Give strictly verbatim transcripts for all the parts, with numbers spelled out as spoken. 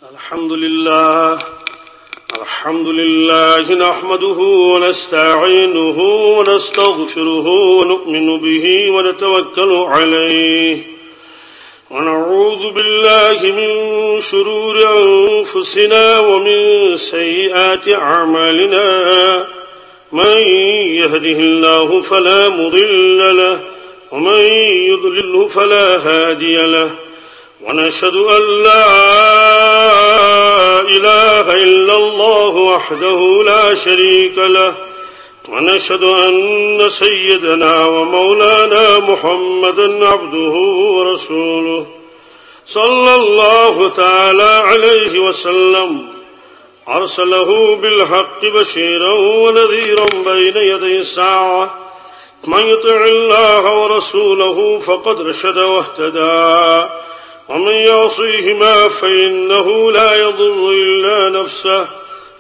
الحمد لله. الحمد لله نحمده ونستعينه ونستغفره ونؤمن به ونتوكل عليه. ونعوذ بالله من شرور أنفسنا ومن سيئات أعمالنا. من يهده الله فلا مضل له، ومن يضلله فلا هادي له. ونشهد أن لا إله إلا الله وحده لا شريك له، ونشهد أن سيدنا ومولانا محمدا عبده ورسوله، صلى الله تعالى عليه وسلم، أرسله بالحق بشيرا ونذيرا بين يدي الساعة. من يطع الله ورسوله فقد رشد واهتدى، ومن يعصيهما فإنه لا يضر إلا نفسه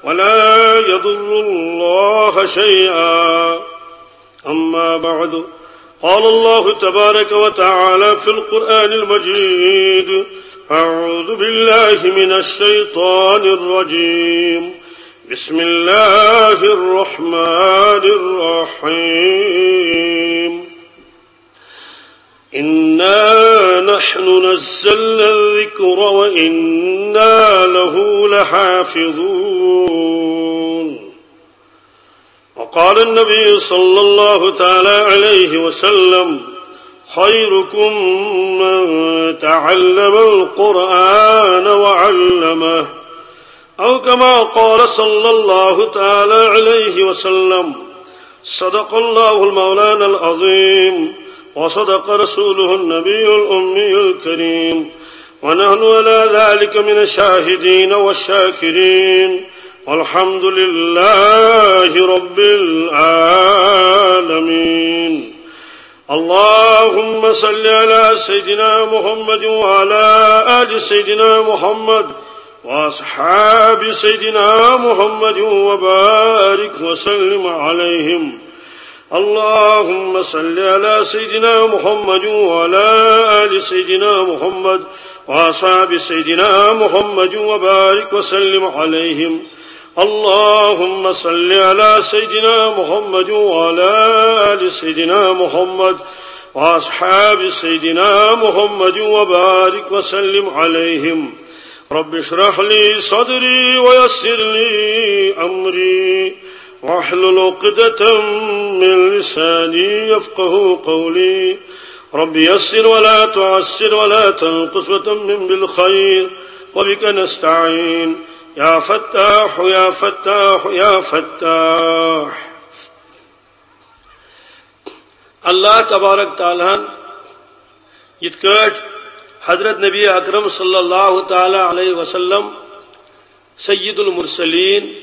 ولا يضر الله شيئا. أما بعد، قال الله تبارك وتعالى في القرآن المجيد: أعوذ بالله من الشيطان الرجيم. بسم الله الرحمن الرحيم. إنا نحن نزلنا الذكر وإنا له لحافظون. وقال النبي صلى الله تعالى عليه وسلم: خيركم من تعلم القرآن وعلمه. أو كما قال صلى الله تعالى عليه وسلم: صدق الله المولانا العظيم، وصدق رسوله النبي الأمي الكريم، ونحن على ذلك من الشاهدين والشاكرين، والحمد لله رب العالمين. اللهم صل على سيدنا محمد وعلى آل سيدنا محمد وأصحاب سيدنا محمد وبارك وسلم عليهم. اللهم صل على سيدنا محمد وعلى آل سيدنا محمد وأصحاب سيدنا محمد وبارك وسلم عليهم. اللهم صل على سيدنا محمد وعلى آل سيدنا محمد وأصحاب سيدنا محمد وبارك وسلم عليهم. رب اشرح لي صدري ويسر لي أمري واحلل عقدة من لساني يفقه قولي. رب يسر ولا تعسر ولا تنقص وتمم بالخير وبك نستعين. يا فتاح، يا فتاح، يا فتاح. اللہ تبارک تعالیٰ ہن یِتھ کٲٹھۍ حضرت نبی اکرم صلی اللہ تعالیٰ علیہ وسلم سید المرسلین،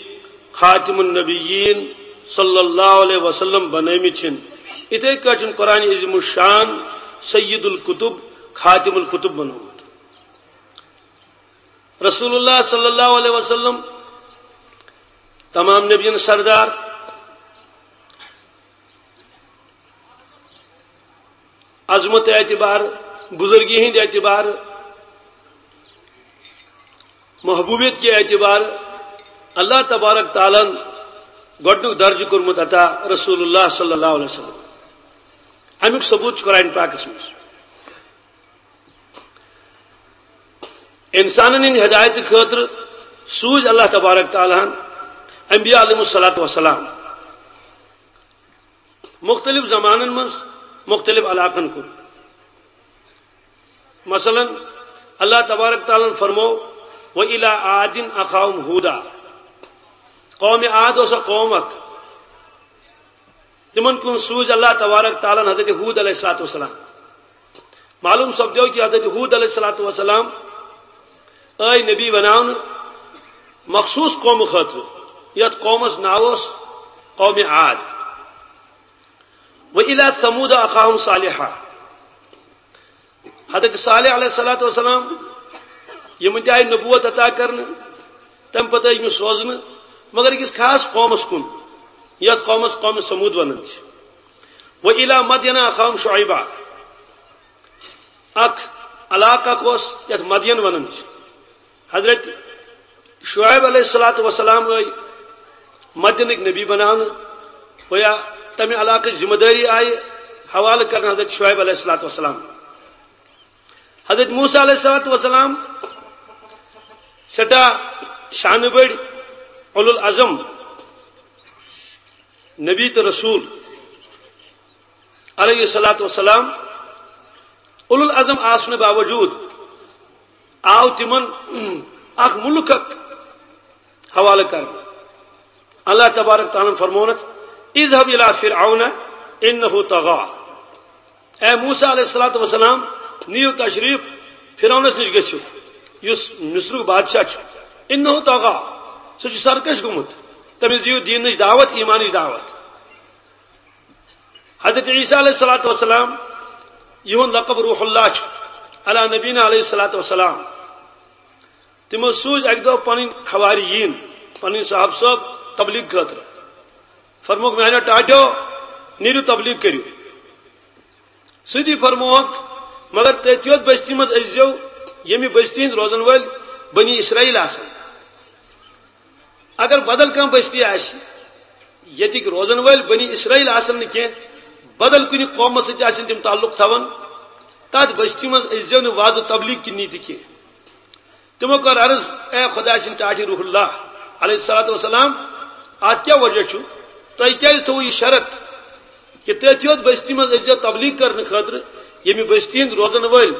خاتم النبیین صلی اللہ علیہ وسلم بنٲومٕتۍ چھِن، یِتھے کٲٹھۍ چھُن قرآن عظیم الشان سید القطب، خاتم القطب بنومُت۔ رسول اللہ صلی اللہ علیہ وسلم تمام نبیَن سردار، عظمت اعتبار، بزرگی ہند اعتبار، محبوبیت کے اعتبار اللہ تبارک تعالیٰ ہن گۄڈنیُک درجہٕ کوٚرمُت عطا رسول اللہ صلی اللہ علیہ وسلم۔ امیُک ثبوت چھُ قرآن پاکس منٛز۔ انسانن ہٕنٛدِ ہدایتہٕ خٲطرٕ سوٗزۍ اللہ تبارک تعالیٰ ہن انبیاء علیہم الصلوۃ والسلام۔ مختلف زمانن منٛز مختلف علاقن کُن۔ مثلاً، اللہ تبارک تعالیٰ ہن فرمو: "وَإِلَىٰ عَادٍ أَخَاهُمْ هُودًا"۔ قوم عاد اوس اکھ قوم اکھ۔ تِمن کُن سوٗزۍ اللہ تبارک تعالیٰ ہن حضرت ہود علیہ الصلوۃ والسلام۔ معلوم سپدیو کہ حضرت ہود علیہ الصلوۃ والسلام آے نبی بناونہٕ مخصوص قومہٕ خٲطرٕ، یتھ قومس ناو اوس قوم عاد۔ "وَإِلَىٰ ثَمُودَ أَخَاهُمْ صَالِحًا"۔ حضرت صالح علیہ الصلوۃ والسلام، یِمن تہِ آیہِ نبوت عطا کرنہٕ، تمہِ پتہٕ آیہِ یِم سوزنہٕ، مگر أکِس خاص قومس کُن، یتھ قومس قوم ثمود ونان چھِ۔ "وَإِلَىٰ مَدْيَنَ أَخَاهُمْ شُعَيْبًا"۔ اکھ علاقہٕ اکھ اوس یتھ مدین ونان چھِ۔ حضرت شعیب علیہ الصلوۃ والسلام آے مدینٕکۍ نبی بناونہٕ، گویا تمہِ علاقٕچ ذمہ دٲری آیہِ حوالہٕ کرنہٕ حضرت شعیب علیہ الصلوۃ والسلام۔ حضرت موسیٰ علیہ الصلوۃ والسلام سٮ۪ٹھاہ شانہٕ بٔڑۍ، اولو العزم نبی تہٕ رسول علیہ الصلوۃ والسلام، اولو العزم آسنہٕ باوجود آو تِمن اکھ ملکک حوالہٕ کرنہٕ۔ اللہ تبارک تعالیٰ فرمونکھ، "اذهب الى فرعون انه طغى"۔ اے موسیٰ علیہ الصلوۃ والسلام، نِیِو تشریف فرعونس نِش گٔژھِو، یُس مصرُک بادشاہ چھُ۔ "انه طغى"، سُہ چھُ سرکش گوٚمُت۔ تٔمِس دِیِو دیٖنٕچ دعوت، ایمانٕچ دعوت۔ حضرت عیسیٰ علیہ الصلوۃ والسلام، یِہُنٛد لقب روح اللہ چھُ، علی نبینا علیہ الصلوۃ والسلام۔ تِمو سوٗزۍ اَکہِ دۄہ پنٕنۍ حواریٖن، پنٕنۍ صحابہٕ صٲب تبلیغ خٲطرٕ۔ فرمووُکھ، "میانیو ٹاٹھیو، نیٖرِو تبلیغ کٔرِو۔" سۭتی فرمووُکھ، "مگر تٔتھۍ یوت بستی منٛز أژۍزیو، ییٚمہِ بستی ہٕنٛدۍ روزن وٲلۍ بنی اسرائیل آسن۔ اگر بدل کانٛہہ بستی آسہِ، ییٚتِکۍ روزن وٲلۍ بنی اسرائیل آسن نہٕ کینٛہہ، بدل کُنہِ قومس سۭتۍ آسن تِم تعلق تھاوان، تتھ بستی منٛز أژۍزیو نہٕ وعظ و تبلیغ کہِ نیتہِ کینٛہہ۔" تِمو کٔر عرض، "اے خۄداے سٕنٛدۍ ٹاٹھۍ روح اللہ علیہ الصلوۃ والسلام، اتھ کیٛاہ وجہ چھُ؟ تۄہہِ کیٛازِ تھوٚوُ یہِ شرط کہِ تٔتھۍ یوت بستی منٛز ٲسۍزیو تبلیغ کرنہٕ خٲطرٕ، ییٚمہِ بستی ہٕنٛدۍ روزن وٲلۍ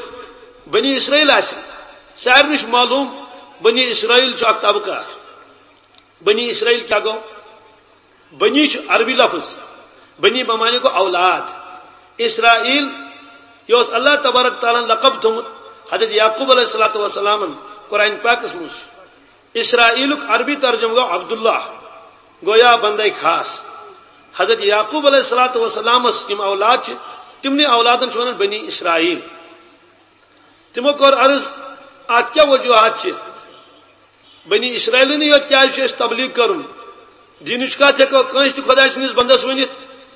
بنی اسرائیل آسن؟" سارنٕے چھُ معلوم، بنی اسرائیل چھُ اکھ طبقہٕ اکھ۔ بنی اسرائیل کیٛاہ گوٚو؟ بنی چھُ عربی لفظ، بنی بمعنی گوٚو اولاد۔ اسرائیل، یہِ اوس اللہ تبارک تعالیٰ ہن لقب تھوٚمُت حضرت یعقوب علیہ الصلوۃ والسلامن قرآن پاکس منٛز۔ اسرائیلُک عربی ترجمہٕ گوٚو عبداللہ، گویا بندے خاص۔ حضرت یعقوب علیہ الصلوۃ والسلامس یِم اولاد چھِ، تِمنٕے اولادن چھِ ونان بنی اسرائیل۔ تِمو کوٚر عرض، اتھ کیٛاہ وجوہات چھِ؟ بنی اسرائیلنٕے یوت کیٛازِ چھُ اَسہِ تبلیغ کرُن؟ دیٖنٕچ کتھ ہٮ۪کو کٲنٛسہِ تہِ خۄداے سٕنٛدِس بندس ؤنِتھ،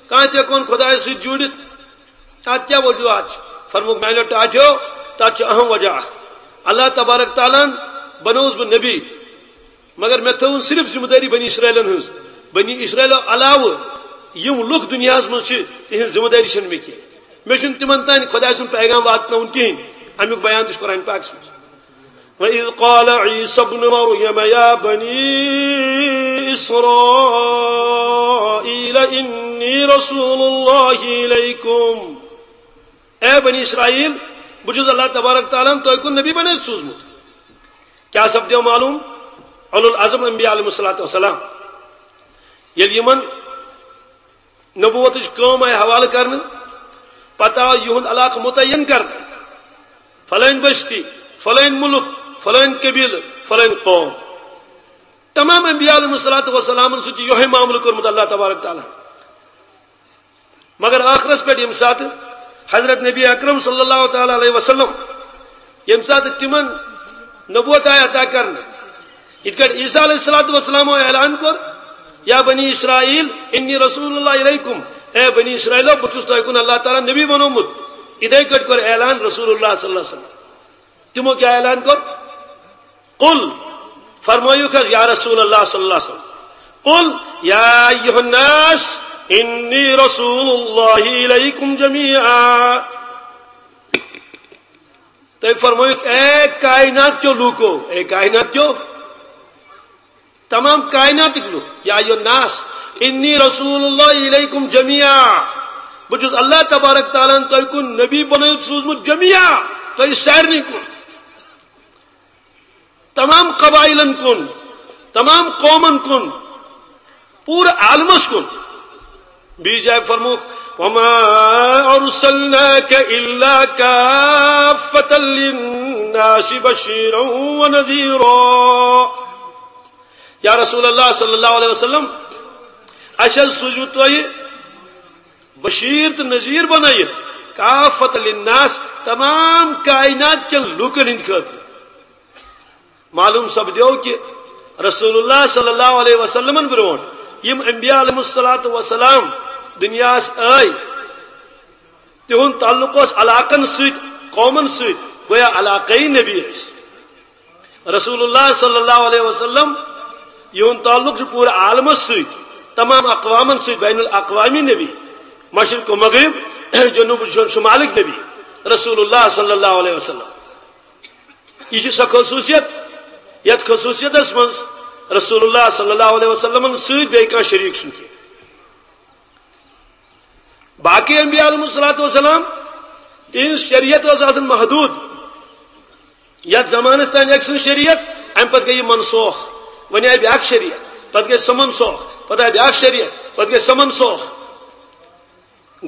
کانٛہہ تہِ ہٮ۪کون خۄدایس سۭتۍ جوٗڑِتھ۔ اتھ کیٛاہ وجوہات چھِ؟ فرمووُکھ، میانیو ٹاٹھیو، تتھ چھُ اہم وجہ اکھ۔ اللہ تبارک تعالیٰ ہن بنووُس بہٕ نبی، مگر مےٚ تھٲوٕن صرف ذمہٕ دٲری بنی اسرائیلن ہٕنٛز۔ بنی اسرائیلو علاوٕ یِم لُکھ دُنیاہس منٛز چھِ، تِہنٛز ذمہٕ دٲری چھنہٕ مےٚ کینٛہہ۔ مےٚ چھُنہٕ تِمن تام خۄداے سُنٛد پیغام واتناوُن کِہینۍ۔ امیُک بیان تہِ چھُ قرآن پاکس منٛز۔ وَإِذْ قَالَ عِيسَى ابْنُ مَرْيَمَ يَا بَنِي إِسْرَائِيلَ إِنِّي رَسُولُ اللَّهِ إِلَيْكُمْ۔ اے بنی اسرائیل، بہٕ چھُس اللہ تبارک تعالیٰ ہن تۄہہِ کُن نبی بنٲوِتھ سوٗزمُت۔ کیٛاہ سپدیو معلوم؟ اولو العزم انبیاء علیہ الصلوۃ والسلام، ییٚلہِ یِمن نبوتٕچ کٲم آیہِ حوالہٕ کرنہٕ، پتہٕ آو یِہُنٛد علاقہٕ متعین کرنہٕ، فلٲنۍ بستی، فلٲنۍ مُلک، فلٲنۍ قبیلہٕ، فلٲنۍ قوم۔ تمام انبیاء علیہ الصلوۃ والسلامن سۭتۍ چھُ یِہوٚے معاملہٕ کوٚرمُت اللہ تبارک تعالیٰ۔ مگر ٲخرس پٮ۪ٹھ ییٚمہِ ساتہٕ حضرت نبی اکرم صلی اللہ تعالیٰ علیہ وسلم، ییٚمہِ ساتہٕ تِمن نبوت آیہِ عطا کرنہٕ، یِتھ کٲٹھۍ عیسیٰ علیہ الصلوۃ والسلام اعلان کوٚر، "یا بنی اسرائیل انی رسول اللہ الیکم"، اے بنی اسرائیلو، بہٕ چھُس تۄہہِ کُن اللہ تعالیٰ نبی بنوومُت، یِتھے کٲٹھۍ کوٚر اعلان رسول اللہ صلی اللہ علیہ وسلم۔ تِمو کیٛاہ اعلان کوٚر؟ قل، فرمٲیِو حظ یا رسول اللہ صلی اللہ علیہ وسلم، قل یا ایھا الناس انی رسول اللہ الیکم جمیعا۔ تُہۍ فرمٲیِو، اے کائنات کیو لوٗکو، اے کائنات کیو، تمام کائناتٕکۍ لوٗکھ، یا ایھا الناس انی رسول اللہ الیکم جمیعا، بہٕ چھُس اللہ تبارک تعالیٰ ہن تۄہہِ کُن نبی بنٲوِتھ سوٗزمُت جمیعا، تۄہہِ سارنٕے کُن۔ تمام قبائلن کُن، تمام قومن کُن، پوٗرٕ عالمس کُن۔ بیٚیہِ جایہِ فرمووُکھ، "وما ارسلناک الا کافة للناس بشیرا ونذیرا۔" یا رسول اللہ صلی اللہ علیہ وسلم، اسہِ حظ سوٗزوٕ تۄہہِ بشیٖر تہٕ نذیٖر بنٲیِتھ، کافة للناس، تمام کائنات کٮ۪ن لوٗکن ہٕنٛدِ خٲطرٕ۔ معلوم سپدیو کہ رسول اللہ صلی اللہ علیہ وسلمن برونٹھ یم انبیاء علیہ الصلوۃ والسلام دنیاس آئے، تہند تعلق اوس علاقن سۭتۍ، قومن سۭتۍ، گویا علاقے نبی ٲسۍ۔ رسول اللہ صلی اللہ علیہ وسلم، یہُنٛد تعلق چھُ پوٗرٕ عالمس سۭتۍ، تمام اقوامن سۭتۍ، بین الاقوامی نبی، مشرق و مغرب، جنوب و شمالٕکۍ نبی، رسول اللہ صلی اللہ علیہ وسلم۔ یہ چھِ سۄ خصوٗصیت، یتھ خصوٗصیتس منٛز رسول اللہ صلی اللہ علیہ وسلمن سۭتۍ بیٚیہِ کانٛہہ شریٖک چھُنہٕ کینٛہہ۔ باقی انبیاء علیہ الصلوۃ والسلام، تہنٛز شریعت ٲس آسان محدود۔ یتھ زمانس تام أکۍ سٕنٛز شریعت، امہِ پتہٕ گٔے یہِ منسوخ۔ وۄنۍ آیہِ بیٛاکھ شریعت، پتہٕ گٔے سۄ منسوخ، پتہٕ آیہِ بیٛاکھ شریعت، پتہٕ گٔے سۄ منسوخ۔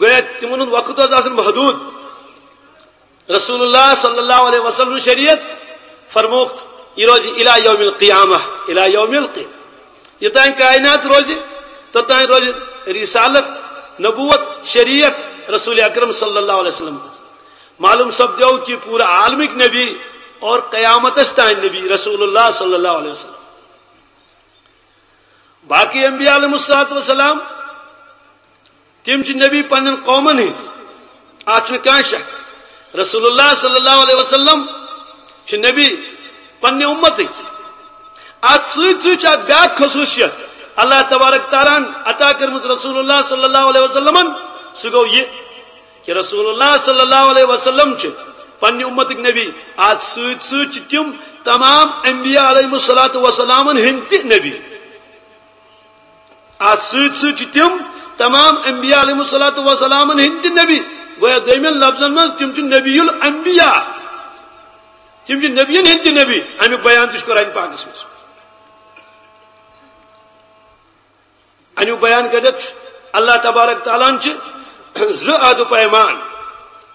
گویا تِمن ہُنٛد وقت اوس آسان محدود۔ رسول اللہ صلی اللہ علیہ وسلم شریعت فرموک، یہ روزِ الی یوم القیامہ، الی یوم القیامہ۔ یوتام کائنات روزِ، توتام روزِ رسالت، نبوت، شریعت رسول اکرم صلی اللہ علیہ وسلم۔ معلوم سپدیو کہ پورٕ عالمٕکۍ نبی اور قیامتس تام نبی رسول اللہ صلی اللہ علیہ وسلم۔ باقی انبیاء علیہ الصلوۃ والسلام، تِم چھِ نبی پننٮ۪ن قومن ہٕنٛدۍ، اتھ چھُنہٕ کانٛہہ شک۔ رسول اللہ صلی اللہ علیہ وسلم چھِ نبی پننہِ امتٕکۍ۔ اتھ سۭتۍ سۭتۍ چھِ اتھ بیٛاکھ خصوٗصیت، اللہ تبارک تعالیٰ ہن عطا کٔرمٕژ رسول اللہ صلی اللہ علیہ وسلمن۔ سُہ گوٚو یہِ کہ رسول اللہ صلی اللہ علیہ وسلم چھِ پننہِ امتٕکۍ نبی۔ اتھ سۭتۍ سۭتۍ چھِ تِم تمام انبیاء علیہ الصلوۃ والسلامن ہٕنٛدۍ تہِ نبی۔ اتھ سۭتۍ سۭتۍ چھِ تِم تمام انبیاء علیہ الصلوۃ والسلامن ہٕنٛدۍ تہِ نبی۔ گویا دوٚیمٮ۪ن لفظن منٛز تِم چھِ نبی الانبیاء۔ تِم چھِ نبیَن ہٕنٛدۍ تہِ نبی۔ امیُک بیان تہِ چھُ قرآن پاکس منٛز۔ امیُک بیان کتٮ۪تھ چھُ؟ اللہ تبارک تعالیٰ ہن چھِ زٕ عہد و پیمان،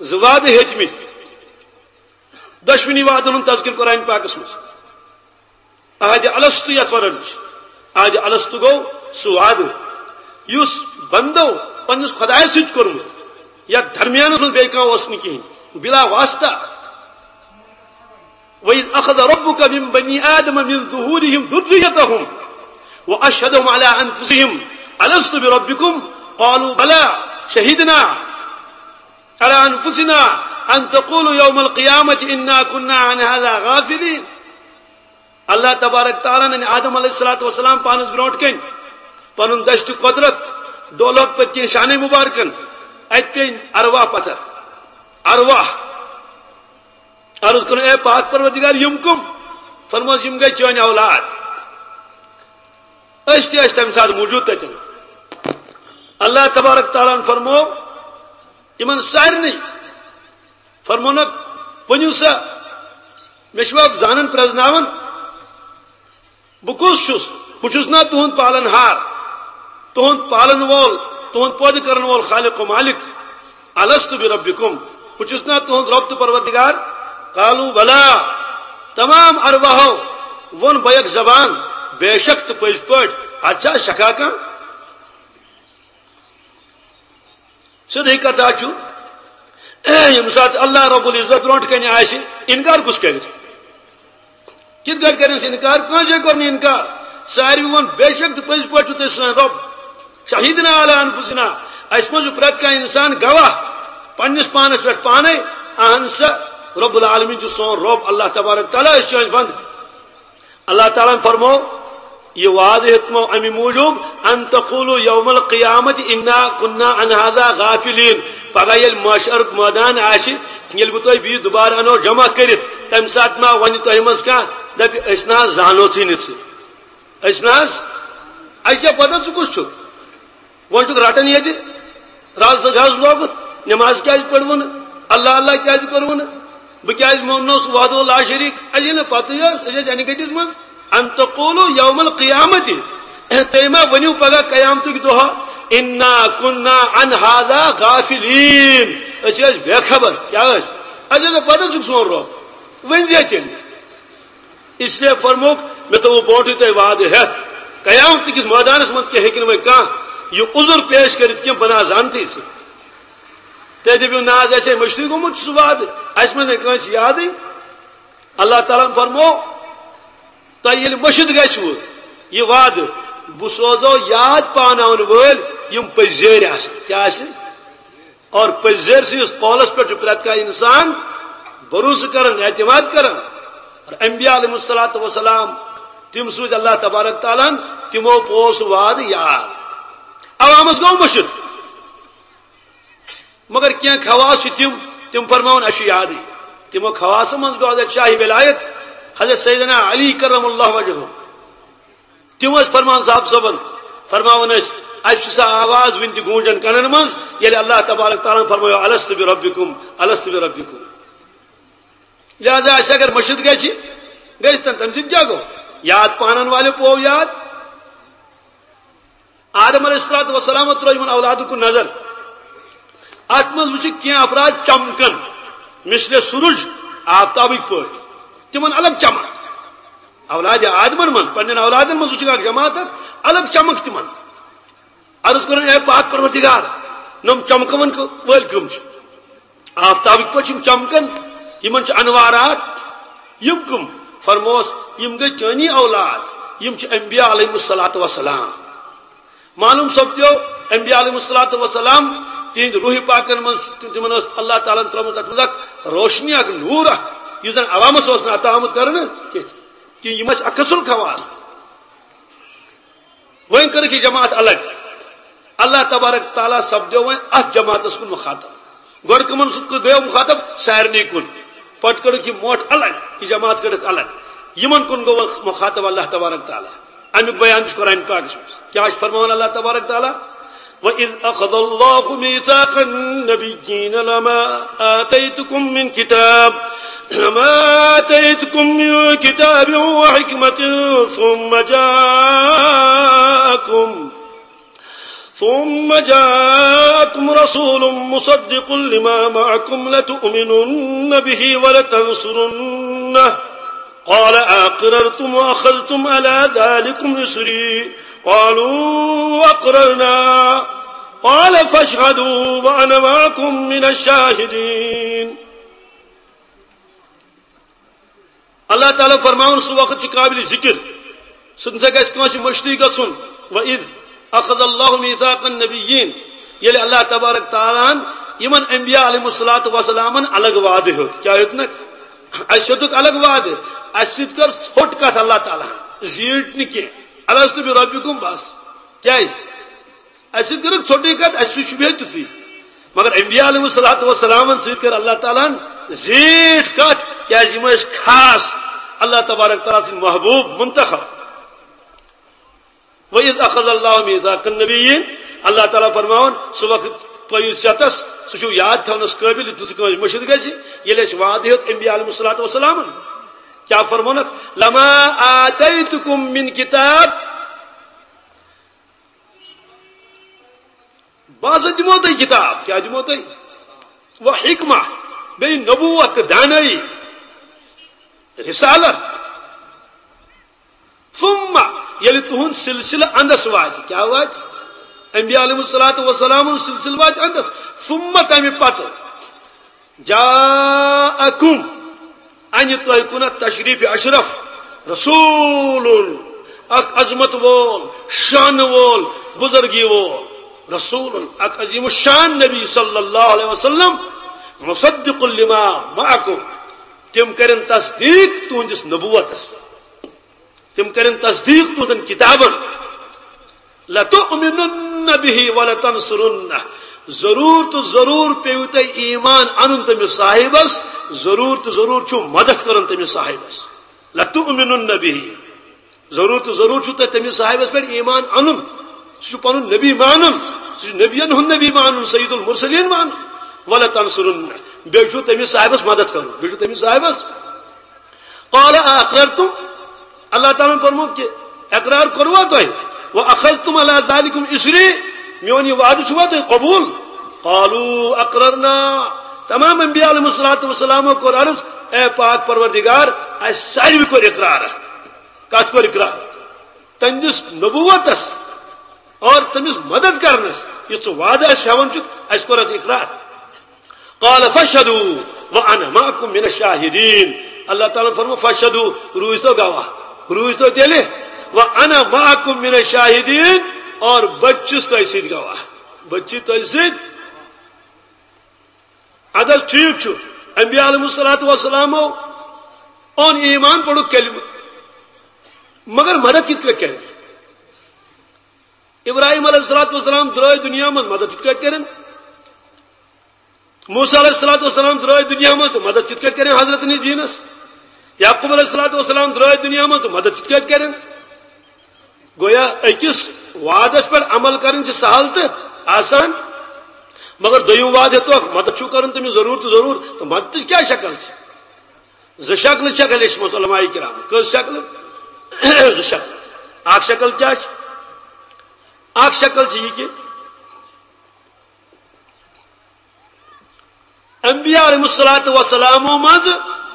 زٕ وعدٕ ہیٚتمٕتۍ۔ دۄشوٕنی وعدن ہُنٛد تذکر قرآن پاکس منٛز۔ عہد الست یتھ ونان چھِ، عہد الست گوٚو سُہ وعدٕ یُس بندو پننِس خۄدایس سۭتۍ کوٚرمُت، یتھ درمیانس منٛز بیٚیہِ کانٛہہ اوس نہٕ کِہیٖنۍ، بلا واسطہ۔ وَإِذْ أَخَذَ رَبُّكَ مِنْ بَنِي آدَمَ مِنْ ظُهُورِهِمْ ذُرِّيَّتَهُمْ وَأَشْهَدَهُمْ عَلَىٰ أَنْفُسِهِمْ أَلَسْتُ بِرَبِّكُمْ قَالُوا بَلَىٰ شَهِدْنَا عَلَىٰ أَنْفُسِنَا أَنْ تَقُولُوا يَوْمَ الْقِيَامَةِ إِنَّا كُنَّا عَنْ هَٰذَا غَافِلِينَ۔ اللہ تبارک تعالیٰ ہن آدم علیہ الصلوۃ والسلام پانس برونٹھ کن پنن دشت قدرت ڈولک پتہ کن شانہ مبارکن، اتہ پیٚیہِ ارواح پتھر۔ ارواح۔ عرض کرُن، اے پاک پروردگار، یم کم؟ فرموس، یم گٔے چٲنۍ اولاد۔ أسۍ تہِ ٲسۍ تمہِ ساتہٕ موجود تتٮ۪ن۔ اللہ تبارک تعالیٰ ہن فرمو یمن سارنٕے، فرمونکھ، ؤنِو سا، مےٚ چھُوا زانن پرزناوان؟ بہٕ کُس چھُس؟ بہٕ چھُس نا تُہُنٛد پالن ہار، تُہُنٛد پالن وول، تُہُنٛد پٲدٕ کرن وول خالق و مالک؟ الست بربکم، بہٕ چھُس نا تُہُنٛد رب تہٕ پروردگار؟ قالوا بلا، تمام ارواحو ووٚن بیک زبان، بے شک تہٕ پٔزۍ پٲٹھۍ، اتھ چھا شکا کانٛہہ؟ سیوٚدُے کتھا چھُ، ییٚمہِ ساتہٕ اللہ رب العزت برونٛٹھ کنہِ آسہِ، انکار کُس کرِ؟ کِتھ کٲٹھۍ کرٮ۪س انکار؟ کٲنٛسے کوٚر نہٕ انکار۔ ساروی ووٚن، بے شک تہٕ پٔزۍ پٲٹھۍ چھُو تُہۍ سٲنۍ رب۔ شہیدنا علی انفسنا، اَسہِ منٛز چھُ پرٛٮ۪تھ کانٛہہ انسان گواہ پننِس پانس پٮ۪ٹھ پانے، اہن سا، رب العالمین چھُ سون رب، اللہ تبارک تعالیٰ، أسۍ چھِ چٲنۍ بندٕ۔ اللہ تعالیٰ ہن فرمو، یہ وعدٕ ہیوٚتمو اَمہِ موٗجوٗب، ان تقولوا یوم القیامت انا کنا عن هذا غافلین۔ پگاہ ییٚلہِ محشرُک مٲدان آسہِ، ییٚلہِ بہٕ تۄہہِ بیٚیہِ دُبارٕ انو جمع کٔرِتھ، تمہِ ساتہٕ ما ونہِ تۄہہِ منٛز کانٛہہ، دپہِ، أسۍ نہ حظ زانوتھٕے نہٕ ژٕ، أسۍ نہ حظ، اَسہِ کیٛاہ پتہ ژٕ کُس چھُکھ؟ وۄنۍ چھُکھ رٹان ییٚتہِ رز تہٕ گز لوگُت، نماز کیٛازِ پٔرٕوٕ نہٕ؟ اللہ اللہ کیٛازِ کوٚروٕ نہٕ؟ بہٕ کیٛازِ موننوس وحدہ لا شریک؟ اَسہِ ییٚلہِ نہٕ پتہٕ ٲس، أسۍ ٲسۍ انہِ گٔٹِس منٛز۔ ان تقولوا یوم القیامت، تُہۍ ما ؤنِو پگاہ قیامتٕکۍ دۄہ، انا کنا عن هذا غافلین، أسۍ ٲسۍ بے خبر۔ کیٛاہ ٲسۍ؟ اَسہِ ٲس نہٕ پتہ ژٕ کُس سون رب۔ ؤنۍ زِ تیٚلہِ۔ اس لیے فرموک، مےٚ تھوٚو برونٛٹھٕے تۄہہِ وعدٕ ہٮ۪تھ، قیامت کِس مٲدانس منٛز تہِ ہیٚکہِ نہٕ وۄنۍ کانٛہہ یہِ عذر پیش کٔرِتھ کینٛہہ، بہٕ نہ حظ زانتھٕے ژٕ۔ تُہۍ دٔپِو، نہ حظ، اَسہِ ہے مٔشتٕے گوٚمُت سُہ وعدٕ، اَسہِ منٛز نہٕ کٲنٛسہِ یادٕے۔ اللہ تعالیٰ ہن فرموو، تۄہہِ ییٚلہِ مٔشِتھ گژھِوٕ یہِ وعدٕ، بہٕ سوزو یاد پاناون وٲلۍ یِم پٔزۍ زیٖرۍ آسن۔ کیٛاہ آسن؟ اور پٔزۍ زیٖرۍ سٕنٛدِس قولس پٮ۪ٹھ چھُ پرٛٮ۪تھ کانٛہہ انسان بھروسہٕ کران، اعتماد کران۔ انبیاء علیہ الصلوۃ والسلام، تِم سوٗزۍ اللہ تبارک تعالیٰ ہن، تِمو پوٚو سُہ وعدٕ یاد۔ عوامس گوٚو مٔشِتھ، مگر کینٛہہ خواص چھِ تِم، تِم فرماوَن اَسہِ چھُ یادٕے۔ تِمو خواصو منٛز گوٚو حضرت شاہ ولایت، حضرت سیدنا علی کرم اللہ وجہہ۔ تِم ٲسۍ فرمان صاحب صٲبن، فرماوان ٲسۍ، اَسہِ چھُ سۄ آواز وٕنہِ تہِ گوٗنجان کَنن منٛز، ییٚلہِ اللہ تبارک تعالیٰ ہن فرمایو، "الست بربکم، الست بربکم۔" لہذا اَسہِ اگر مٔشِتھ گژھِ، گژھِ تن، تَمہِ سۭتۍ کیٛاہ گوٚو؟ یاد پانن والٮ۪و پوو یاد۔ آدم علیہ الصلوۃ والسلام ترٲو یِمن اولادن کُن نظر۔ اتھ منٛز وٕچھِکھ کینٛہہ افراد چمکن، مثل سورج، آفتابٕکۍ پٲٹھۍ، تِمن الگ چمک۔ اولاد آدمن منٛز، پننٮ۪ن اولادن منٛز وٕچھِکھ اکھ جماعت اکھ الگ چمک تِمن۔ عرض کوٚرُن، اے پاک پروردگار، نۄم چمکن وٲلۍ کٕم چھِ؟ آفتابٕکۍ پٲٹھۍ چھِ یِم چمکان، یِمن چھِ انوارات۔ یِم کٕم؟ فرموس، یِم گٔے چٲنی اولاد، یِم چھِ انبیاء علیہم الصلوۃ والسلام۔ معلوم سپدیو، انبیاء علیہم الصلوۃ والسلام، تِہنٛدِ روح پاکن منٛز، تِمن ٲس اللہ تعالیٰ ہن ترٲومٕژ تتھ منٛز اکھ روشنی، اکھ نور اکھ، یُس زن عوامس اوس نہٕ عطا آمُت کرنہٕ کینٛہہ۔ کہِ یِم ٲسۍ اکھ اصل خواص۔ وۄنۍ کٔرٕکھ یہِ جماعت الگ۔ اللہ تبارک تعالیٰ سپدیو وۄنۍ اتھ جماعتس کُن مخاطب۔ گۄڈٕ کٕمن سُہ گٔیو مخاطب؟ سارنٕے کُن۔ پتہٕ کٔرٕکھ یہِ مۄٹھ الگ، یہِ جماعت کٔرٕکھ الگ۔ یِمن کُن گوٚو وۄنۍ مخاطب اللہ تبارک تعالیٰ۔ امیُک بیان چھُ قرآن پاکس منٛز۔ کیٛاہ چھُ فرماوان اللہ تبارک تعالیٰ؟ وَإِذْ أَخَذَ اللَّهُ مِيثَاقَ النَّبِيِّينَ لَمَا آتَيْتُكُم مِّن كِتَابٍ، لَمَا آتَيْتُكُم مِّن كِتَابٍ وَحِكْمَةٍ ثُمَّ جَاءَكُم، ثُمَّ جَاءَكُمْ رَسُولٌ مُّصَدِّقٌ لِّمَا مَعَكُمْ لَتُؤْمِنُنَّ بِهِ وَلَتَنصُرُنَّهُ، قَالَ أَقْرَرْتُمْ وَأَخَذْتُمْ عَلَىٰ ذَٰلِكُمْ إِصْرِي، قَالُوا أَقْرَرْنَا، قَالَ فَاشْهَدُوا وَأَنَا مَعَكُم مِّنَ الشَّاهِدِينَ۔ اللہ تعالیٰ فرماوُن، سُہ وقت چھُ قابلِ ذِکِر، سُہ نہ سا گژھِ کٲنٛسہِ مٔشتٕے گژھُن۔ وَإِذْ أَخَذَ اللَّهُ مِيثَاقَ النَّبِيِّينَ، ییٚلہِ اللہ تبارک تعالیٰ ہن یِمن انبیاء علیہم الصلوۃ والسلامن الگ وعدٕ ہیوٚت۔ کیٛاہ ہیوٚتنکھ؟ اَسہِ ہیوٚتُکھ الگ وعدٕ، اَسہِ سۭتۍ کٔر ژھوٚٹ کتھ اللہ تعالیٰ ہن، زیٖٹھ نہٕ کینٛہہ۔ الست بربکم، بس۔ کیٛازِ؟ اَسہِ سۭتۍ کٔرٕکھ ژھوٚٹٕے کتھ، اَسہِ سۭتۍ شوٗبہِ ہے تیُتُے۔ مگر انبیاء علیہم الصلوۃ والسلامن سۭتۍ کٔر اللہ تعالیٰ ہن زیٖٹھ کتھ، کیٛازِ یِم ٲسۍ خاص اللہ تبارک تعالیٰ سٕنٛدۍ محبوب، منتخب۔ وَإِذْ أَخَذَ اللَّهُ مِيثَاقَ النَّبِيِّينَ، اللہ تعالیٰ فرماوان، سُہ وقت پٔیِو ژٮ۪تس، سُہ چھُ یاد تھاونس قٲبل، یُتھ نہٕ سُہ کٲنٛسہِ مٔشِتھ گژھِ، ییٚلہِ اَسہِ وعدٕ ہیوٚت انبیاء علیہم الصلوۃ والسلامن۔ کیٛاہ فرمونکھ؟ لَمَا آتَيْتُكُم مِّن كِتَابٍ، بہٕ ہسا دِمو تۄہہِ کِتاب۔ کیٛاہ دِمو تۄہہِ؟ و حکمہ، بیٚیہِ نبوت تہٕ دانٲیی، رسالت۔ ثم، ییٚلہِ تُہُنٛد سلسلہٕ اندس واتہِ، کیٛاہ واتہِ؟ انبیاء علیہم الصلوۃ والسلام ہُنٛد سلسلہٕ واتہِ اندس۔ ثم، تمہِ پتہٕ، جاءکم، انہِ تۄہہِ کُن تشریف اشرف، رسول، اکھ عظمت وول، شان وول، بزرگی وول، رسول، اکھ عظیم الشان نبی صلی اللہ علیہ وسلم، مصدق لما معکم، تِم کرن تصدیق تُہنٛدِس نبوتس۔ تِم کرن تصدیق تُہنٛدٮ۪ن کِتابن۔ لَتُؤْمِنُنَّ بِهِ وَلَتَنصُرُنَّهُ۔ ضروٗر تہٕ ضروٗر پیٚیِو تۄہہِ ایمان اَنُن تٔمِس صاحبس، ضروٗر تہٕ ضروٗر چھُو مدد کرُن تٔمِس صاحبس۔ لَتُؤْمِنُنَّ بِهِ۔ ضروٗر تہٕ ضروٗر چھُو تۄہہِ تٔمِس صاحبس پٮ۪ٹھ ایمان اَنُن۔ سُہ چھُ پنُن نبی مانُن، سُہ چھُ نبین ہُنٛد نبی مانُن، سید المرسلین مانُن۔ وَلَتَنصُرُنَّهُ۔ بیٚیہِ چھُو تٔمِس صاحبس مدد کرُن، بیٚیہِ چھُو تٔمِس صاحبس قال أأقررتم، اللہ تعالیٰ ہن فرموو کہِ اقرار کوٚروا تۄہہِ؟ وأخذتم على ذلكم إصري، میون یہِ وعدٕ چھُوا تۄہہِ قبول؟ قالوا أقررنا، تمام انبیاء علیہم الصلوۃ والسلامو کوٚر عرض، اے پاک پروردگار، اَسہِ ساروی کوٚر اقرار۔ اَتھ کَتھ کوٚر اقرار؟ تٔمۍ دِس نبوتس اور تٔمِس مدد کرنس، یُس ژٕ وعدٕ اَسہِ ہٮ۪وان چھُکھ، اَسہِ کوٚر اَتھ اقرار۔ قال فاشهدوا وأنا معكم من الشاهدين۔ اللہ تعالیٰ فرمو، فاشهدوا، روٗزۍ تو گواہ، روٗزۍ تو تیٚلہِ، وأنا معكم من الشاهدين، اور بہٕ تہِ چھُس تۄہہِ سۭتۍ گواہ، بہٕ تہِ چھُس تۄہہِ سۭتۍ۔ اَدٕ حظ ٹھیٖک چھُ، انبیاء علیہم الصلوۃ والسلامو اون ایمان، پوٚرُکھ کلمہٕ، مگر مدد کِتھ کٲٹھۍ کرِ؟ ابراہیم علیہ الصلوۃ والسلام درٛاے دُنیا منٛز، مدد کِتھ کٲٹھۍ کرن؟ موسیٰ علیہ الصلوۃ والسلام درٛاے دُنیا منٛز تہٕ مدد کِتھ کٲٹھۍ کرن حضرت نِس دیٖنس؟ یعقوب علیہ الصلوۃ والسلام درٛاے دُنیا منٛز تہٕ مدد کِتھ کٲٹھۍ کرن؟ گویا أکِس وعدس پٮ۪ٹھ عمل کرٕنۍ چھِ سہل تہٕ آسان، مگر دوٚیِم وعدٕ ہیٚتوکھ، مدد چھُو کرُن تٔمِس ضروٗر تہٕ ضروٗر، تہٕ مددٕچ کیٛاہ شکل چھِ؟ زٕ شکلہٕ چھکھ لیچھمٕژ علماء کرام۔ کٔژ شکلہٕ؟ زٕ شکلہٕ۔ اکھ شکل کیٛاہ چھِ؟ اکھ شکل چھِ یہِ کہِ انبیاء علیہ الصلوۃ والسلامو منٛز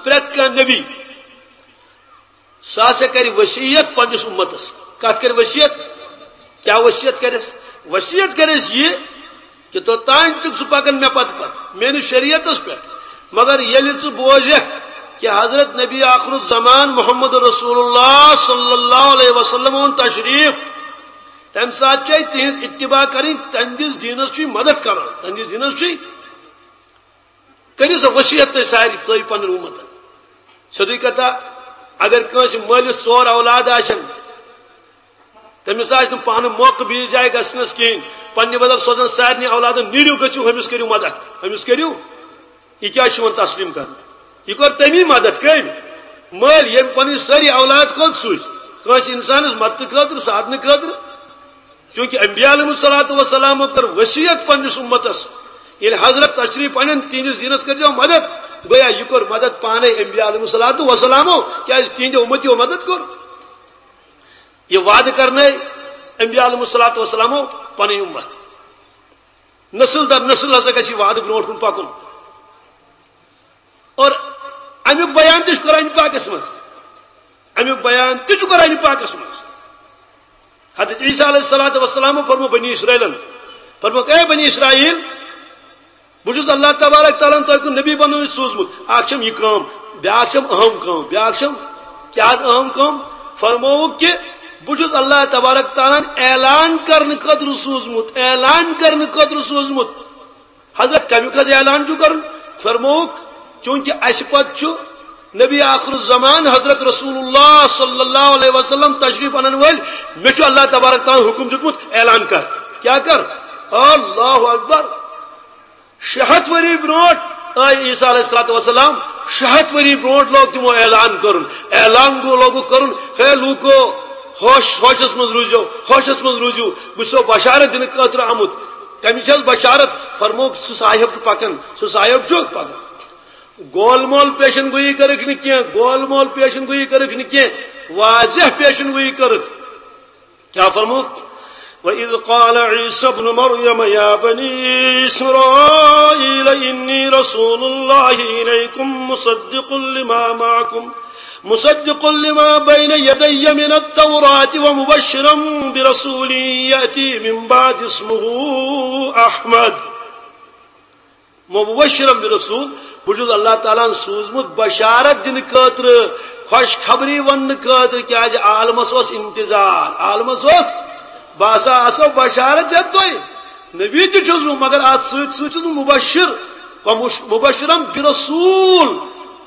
پرٛٮ۪تھ کانٛہہ نبی، سُہ ہسا کرِ وصیت پننِس امتس۔ کتھ کرِ وصیت؟ کیٛاہ وصیت کرٮ۪س؟ وصیت کرٮ۪س یہِ کہ توٚتام چھُکھ ژٕ پکان مےٚ پتہٕ پتہٕ، میٲنِس شریعتس پٮ۪ٹھ، مگر ییٚلہِ ژٕ بوزکھ کہ حضرت نبی آخر الزمان محمد رسول اللہ صلی اللہ علیہ وسلم اوٚن تشریف، تمہِ ساتہٕ چھے تِہنٛز اتباع کرٕنۍ، تہنٛدِس دیٖنس چھُے مدد کران، تہنٛدِس دیٖنس چھُے۔ کٔرِو سا وصیت تُہۍ سارے، تُہۍ پنُن امت۔ سیوٚدُے کتھا، اگر کٲنٛسہِ مٲلِس ژور اولاد آسن، تٔمِس آسہِ نہٕ پانہٕ موقعہٕ بیٚیِس جایہِ گژھنس کِہیٖنۍ، پننہِ بدل سوزن سارنٕے اولادن، "نیٖرِو گٔژھِو، ہُمِس کٔرِو مدد، ہُمِس کٔرِو۔" یہِ کیٛاہ چھُ یِوان تسلیم کرنہٕ؟ یہِ کٔر تٔمی مدد۔ کٔمۍ؟ مٲلۍ، ییٚمۍ پنٕنۍ سٲری اولاد کوٚت سوٗزۍ؟ کٲنٛسہِ انسانس مدتہٕ خٲطرٕ، ساعدنہٕ خٲطرٕ؟ چونکہ انبیاء علیہ الصلوۃ والسلامو کٔر وصیت پننِس امتس، ییٚلہِ حضرت تشریف انن، تِہنٛدِس دیٖنس کٔرۍزیو مدد۔ گویا یہِ کوٚر مدد پانے انبیاء علیہ الصلوۃ والسلامو، کیازِ تِہنٛدیو امتیو مدد کوٚر۔ یہِ وعدٕ کرنٲے انبیاء علیہ الصلوۃ والسلامو پنٕنۍ امت۔ نسل در نسل ہسا گژھِ یہِ وعدٕ برونٛٹھ کُن پکُن۔ اور امیُک بیان تہِ چھُ قرآن پاکس منٛز۔ امیُک بیان تہِ چھُ قرآن پاکس منٛز۔ حضرت عیسیٰ علیہ الصلوۃ والسلام فرمو بنی اسرائیلن، فرموکھ، "اے بنی اسرائیل، بہٕ چھُس اللہ تبارک تعالیٰ ہن تۄہہِ کُن نبی بنٲوِتھ سوٗزمُت۔ اکھ چھم یہِ کٲم، بیاکھ چھم اہم کٲم، بیاکھ چھم کیٛاہ حظ اہم کٲم؟" فرمووُکھ کہ بہٕ چھُس اللہ تبارک تعالیٰ ہن اعلان کرنہٕ خٲطرٕ سوٗزمُت، اعلان کرنہٕ خٲطرٕ سوٗزمُت۔ حضرت، کمیُک حض اعلان چھُ کرُن؟ فرمووُکھ، چونکہ اسہِ پتہٕ چھُ نبی آخر الزمان حضرت رسول اللہ صلی اللہ علیہ وسلم تشریف انن وٲلۍ، مےٚ چھُ اللہ تبارک تعالیٰ ہن حکم دیُتمُت، اعلان کر۔ کیٛاہ کر؟ اللہ اکبر۔ شےٚ ہتھ ؤری برونٛٹھ آے عیسیٰ علیہ الصلوۃ والسلام، شےٚ ہتھ ؤری برونٛٹھ لوگ تِمو اعلان کرُن۔ اعلان گوٚو، لوگُکھ کرُن، "ہے لوٗکو، ہوش، ہوشس منٛز روٗزِو، ہوشس منٛز روٗزِو، بہٕ چھُسو بشارت دِنہٕ خٲطرٕ آمُت۔" کمِچ حظ بشارت؟ فرمووُکھ، سُہ صاحب چھُ پکان، سُہ صاحب چھُ پکان۔ گول مول پیشن گویی کٔرٕکھ نہٕ کینٛہہ، گول مول پیشن گویی کٔرٕکھ نہٕ کینٛہہ، واضح پیشن گویی کٔرٕکھ۔ کیٛاہ فرمووُکھ؟ وَإِذْ قَالَ عِيسَى ابْنُ مَرْيَمَ يَا بَنِي إِسْرَائِيلَ إِنِّي رَسُولُ اللَّهِ إِلَيْكُمْ مُصَدِّقٌ لِمَا مَعَكُمْ، مُصَدِّقٌ لِمَا بَيْنَ يَدَيَّ مِنَ التَّوْرَاةِ وَمُبَشِّرًا بِرَسُولٍ يَأْتِي مِنْ بَعْدِي اسْمُهُ أَحْمَدُ۔ مبشرا برسول، بہٕ چھُس اللہ تعالیٰ ہن سوٗزمُت بشارت دِنہٕ خٲطرٕ، خوشخبری وننہٕ خٲطرٕ، کیازِ عالمس اوس انتظار، عالمس اوس، بہٕ ہسا آسو بشارت دِتھ تۄہہِ، نبی تہِ چھُس بہٕ، مگر اتھ سۭتۍ سۭتۍ چھُس بہٕ مبشر، ومش-، مبشرا برسول،